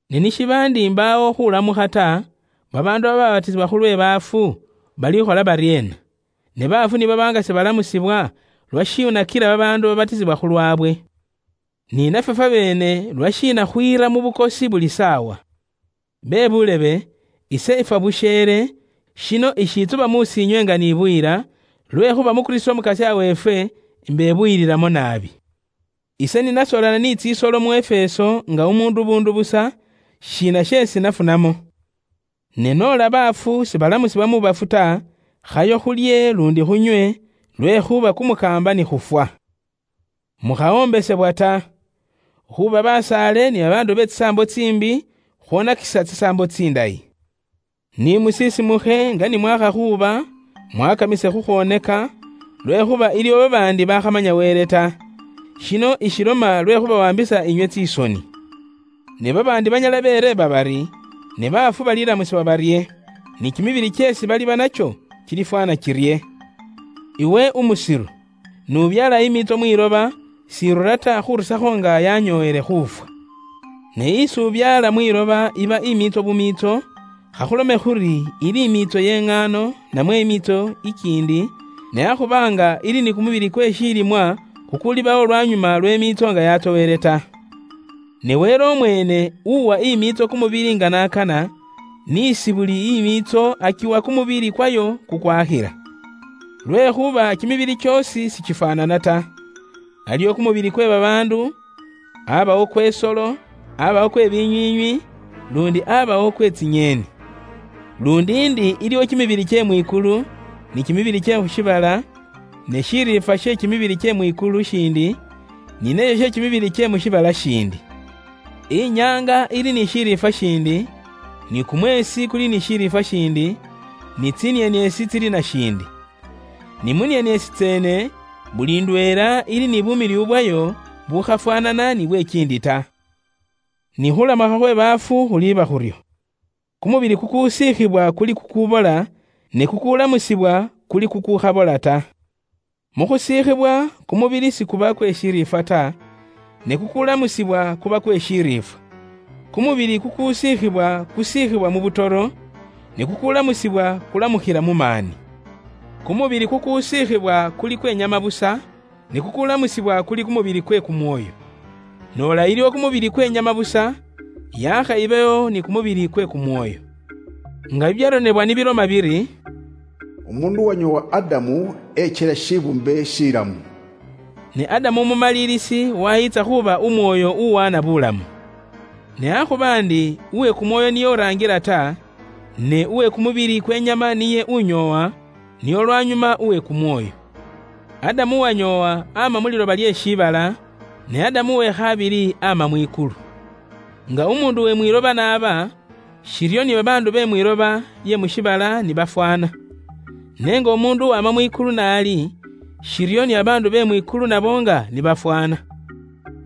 Ne nishiba ndi mbaawo khulamukha ta, babaandu bababatisibwa khulwe baafu balikhola baryeena? Ne baafu niba nga sibalamusibwa, lwashiina kila babaandu babatisibwa khulwabwe? Ni nafwe fwabeene lwashiina khwiira mu bukosi buli saawa? Be buulebe, ise ifwa busheele, Shino ishitsuba musinywe nga nibuyira, lwekhuba mu Kristo Mukasya weefwe, imbebuyiriramo naabi. Ise ninasolana ni tsisolo mu Efeso nga umundu bundu busa, shina shesi nafunamo? Ne nola baafu sibalamusibwa mu bafu ta, khayo khulye lundi khunywe, lwekhuba kumukamba ni khufwa. Mukhawombesebwa ta, khuba basaale ni babaandu be tsisaambo tsimbi khwonakisa tsisaambo tsindayi. Ni musisimukhe nga ni mwakha khuba, mwakamise khukhwoneka, lwekhuba iliwo babaandi bakhamanya Wele ta. Shino ishiloma lwe khubawambisa inywe tsisoni. Ne babaandi banyala bereeba bari, "Ne baafu balilamusibwa barye? Ni kimibili kyesi baliba nakyo kilifwana kirye?" Iwe umusiru, nubyaala imiitso mwiloba, sirura ta khurusakho nga yanyooyele khufwa. Ne isi ubyaala mwiloba iba imiitso bumiitso, khakhulome khuri ili imiitso y'eng'aano, namwe imiitso ikiindi, ne akhuba nga ili ni kumubili kwe shilimwa kukulibawo lwanyuma lw'emiitso nga yatsowele ta. Ne Wele omwene uwa imiitso kumubili nga nakana, nisi buli imiitso akiwa kumubili kwayo kukwakhila. Lwekhuba kimibili kyosi sikifwanana ta. Aliwo kumubili kwe babaandu, abawo kwe solo, abawo kwe binywinywi, lundi abawo kwe tsinyeeni. Lundi indi iliwo kimibili kye mwikulu, ni kimibili kye khushibala, ne shiriifwa she kimibili kye mwikulu shindi, ni nesho she kimibili kye mu shivala shindi. Inyanga ili ni shiriifwa shindi, ni kumwesi kuli ni shiriifwa shindi, ni tsinieniesi tsili na shindi. Ni mu nieniesi tseene, buli ndweela ili ni bumiliu bwayo bukhafwanana ni bwe kindi ta. Ni khulamakha khwe baafu khuliiba khuryo. Kumubili kukusiikhibwa kuli kukubola, ne kukulamusibwa kuli kukukhabola ta. Mu khusiikhibwa, kumubili sikuba kwe shiriifwa ta, ne kukulamusibwa kuba kwe shiriifwa. Kumubili kukusiikhibwa kusiikhibwa mu butoro, ne kukulamusibwa kulamukhila mu maani. Kumubili kukusiikhibwa kuli kwe nyama busa, ne kukulamusibwa kuli kumubili kwe kumwoyo. Nola iliwo kumubili kwe nyama busa, yakha ibewo ni kumubili kwe kumwoyo. Nga bibyaronebwa nibiloma biri, "Umundu wanyowa Adamu echela shibumbe shilamu." Ne Adamu umumalilisi wayitsa khuba umwoyo uwana bulamu. Ne akhuba ndi uwe kumwoyo niye orangira ta, ne uwe kumubili kwenyama niye unyowa, niye olwanyuma uwe kumwoyo. Adamu wanyowa ama mu liloba lye shibala, ne Adamu we khabili ama mwikulu. Nga umundu we mwiloba naba, shiryo ni babaandu be mwiloba lye mu shiibala ni bafwaana. Ne nga omuundu uwama mwikulu naali, shiryo ni babaandu be mwikulu nabo nga ni bafwaana.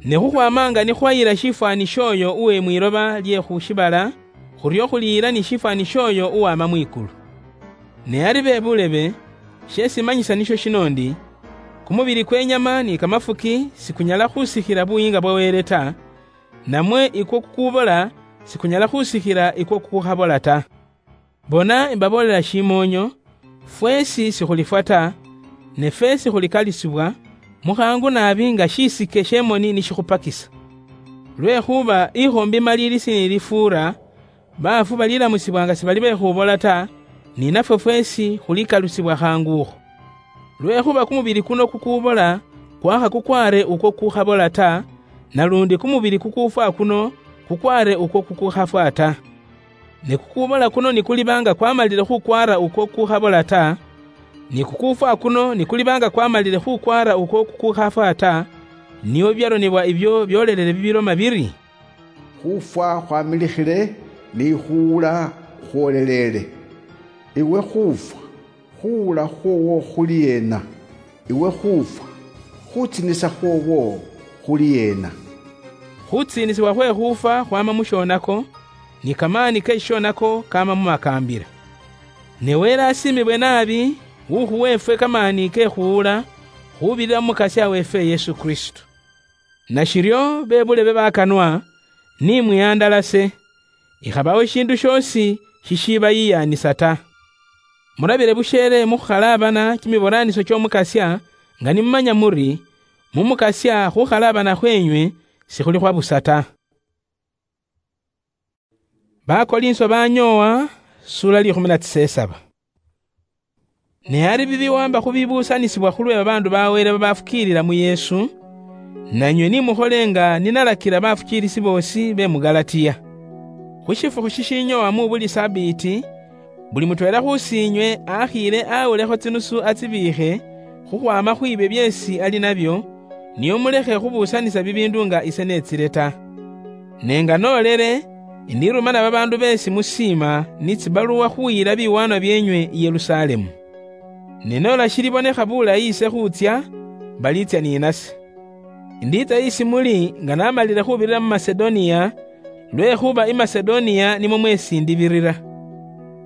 Ne khukhwama nga ni khwayila shifwaani shooyo uwe mwiloba lye khu shiibala, khuryo khuliyila ni shifwaani shooyo uwama mwikulu. Ne ari be bulebe, she simanyisa nisho shino ndi, kumubili kwenyama ni kamafuki sikunyala khusikhila buyiinga bwa Wele ta, namwe ikwo kukubola sikunyala khusikhila ikwo kukukhabola ta. Bona, imbaboolela shimoonyo, fweesi sikhulifwa ta, ne feesi khulikalisibwa, mukhaangu naabi nga shisike she moni nishikhupakisa. Lwekhuba ikhombi malilisi nilifuura, baafu balilamusibwa nga sibali bekhubola ta, ni nafwe fweesi khulikalusibwa khaangukho. Lwekhuba kumubili kuno kukubola kwakha kukwaare ukwo kukukhabola ta, nalundi kumubili kukuufwa kuno kukwaare ukwo kukukhafwa ta. Ne kukubola kuno ni kuliba nga kwamalile khukwaara ukwo kukukhabola ta, ni kukuufwa kuno ni kuliba nga kwamalile khukwaara ukwo kukukhafwa ta, nio bibyaronebwa ibyo byolelele bibiloma biri, "Khufwa khwamilikhile, ni khuwula khwolelele. Iwe khufwa, khuwula khwowo khuli yena? Iwe khufwa, khutsiinisa khwowo khuli yena?" Khutsiinisibwa khwe khufwa khwama mu shonako, ni kamaani ke shishonako kama mu makaambila. Ne Wele asiimibwe naabi, ukhuwa efwe kamaani ke khuwula, khubirira mu Mukasya weefwe Yesu Kristo. Nashiryo, be bulebe bakanwa, ni mwihandalase, ikhabawo shindu shiosi shishibayiyaanisa ta. Murabire busheele mu khukhalaabana kimiboraaniso ky'Omukasya, nga nimumanya muri, mu Mukasya khukhalaabana khwenywe sikhuli khwa busa ta. Bakolinso banyoowa, sura likhumi na tsisesaba. Ne ari bibiwamba khubibusanisibwa khulwe babaandu ba Wele babafukiilila mu Yesu, nanywe nimukhole nga ninalakila bafukiilisi boosi be mu Galatia. Khu shifukhu shishinyowa mu buli Sabiiti, buli mutweela khusiinywe akhiile awulekho tsinusu atsibiikhe khukhwama khwiibyo byeesi ali nabyo, nio mulekhe khubusanisa bibiindu nga ise netsile ta. Ne nga noolele, indirumana babaandu beesi musiima ni tsibaluwa khuyila biwaanwa byeenywe i Yerusalemu. Ne noola shilibonekha bulayi ise khutsya, baliitsya ni nase. Indiitsa isi muli nga namalile khubirira mu Masedonia, lwekhuba i Masedonia nimwo mwesi ndibirira.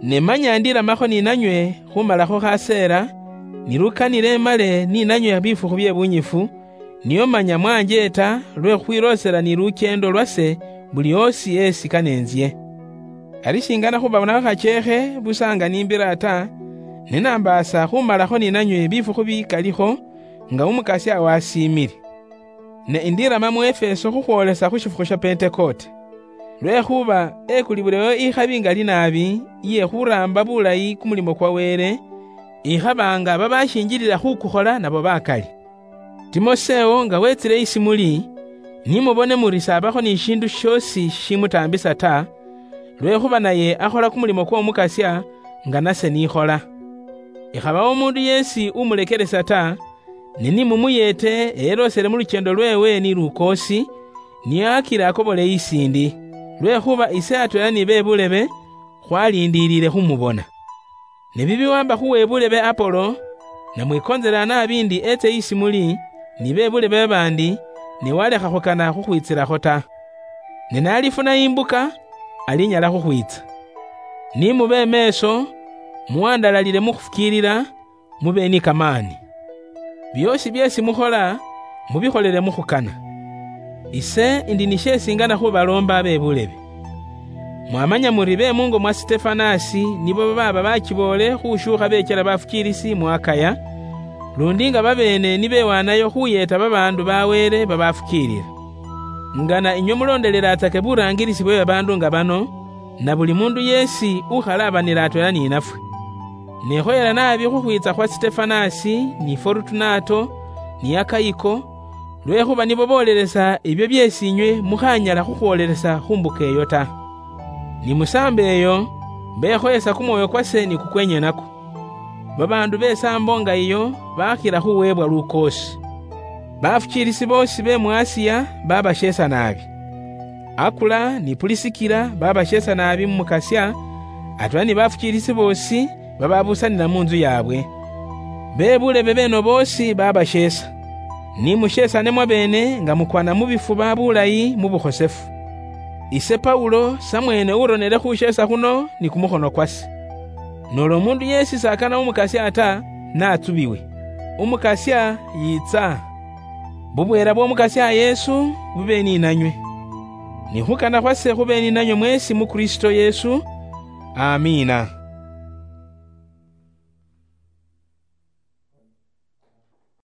Ne manya ndilamakho ni nanywe khumalakho khaseela, nilukanile male ni nanywe bifukhu bye bunyifu, nio manya mwanjeeta lwe khukhwiloosela ni lukyendo lwase buli osi esi kanenzye. Ari shingana khubabonakho khachekhe busa nga nimbira ta, ne nambaasa khumalakho ni nanywe bifukhu bikalikho, nga Umukasya wasiimile. Ne indirama mu Efeso khukhwolesa khu shifukhu sha Pentekote. Lwekhuba ekulibulewo ikhabi ngali naabi iye khuramba bulayi kumulimo kwa Wele, ikhaba nga babashinjilila khukukhola nabo bakali. Timoseo nga wetsile isi muli, nimubone muri sabakho ni shindu shiosi shishimutaambisa ta, lwekhuba naye akhola kumulimo kw'Omukasya nga nase nikhola. Ikhabawo omundu yeesi umulekelesa ta, ne nimumuyeete eyeloosele mu lukyendo lweewe ni lukoosi, niye akila akobole isindi, lwekhuba ise atweela ni be bulebe khwalindiilile khumubona. Ne bibiwamba khu webulebe Apolo, namwikoonzela naabi ndi etse isi muli, ni be bulebe babaandi, ne walekha khukana khukhwitsilakho ta. Ne nalifuna imbuka, alinyala khukhwitsa. Ni mube emeeso, muwandalalile mu khufukiilila, mube ni kamaani. Byoosi byeesi mukhola, mubikholele mu khukana. Ise indi ni sheesi ngana khubaloomba abe bulebe. Mwamanya muri be mungo mwa Sitefanasi nibo babaaba bachiboole khushuukha beechela bafukiilisi mu Akaya, lundi nga babeene nibewaanayo khuyeeta babaandu ba Wele babafukiilila. Ngana inywe muloondelelatsake buraangilisi bwe babaandu nga bano, na buli mundu yeesi ukhalabanila atweela ni nafwe. Nekhoyela naabi khukhwiitsa khwa Sitefanasi, ni Forutunato, ni Akayiko, lwekhuba nibo boolelesa ebyo byeesi inywe mukhanyala khukhwoolelesa khu mbuka eyo ta. Ni mu saambo eyo, bekhoyesa kumwoyo kwase ni kukwenywe nakwo. Babaandu be saambo nga iyo bakhila khuweebwa lukoosi. Bafukiilisi boosi be mu Asiya babasheesa naabi. Akula ni Pulisikila babasheesa naabi mu Mukasya, atweela ni bafukiilisi boosi bababusanila mu ntsu yaabwe. Be bulebe beeno boosi babasheesa. Ni musheesane mwabeene nga mukwana mu bifuba bulayi mu bukhosefu. Ise Paulo samweene uronele khusheesa khuno ni kumukhono kwase. Noola omundu yeesi s'akana Umukasya ta, natsubiwe. Umukasya yiitsa. Bubweela bw'Omukasya Yesu bube ni nanywe. Ni khukana khwase khube ni nanywe mweesi mu Kristo Yesu. Amiina.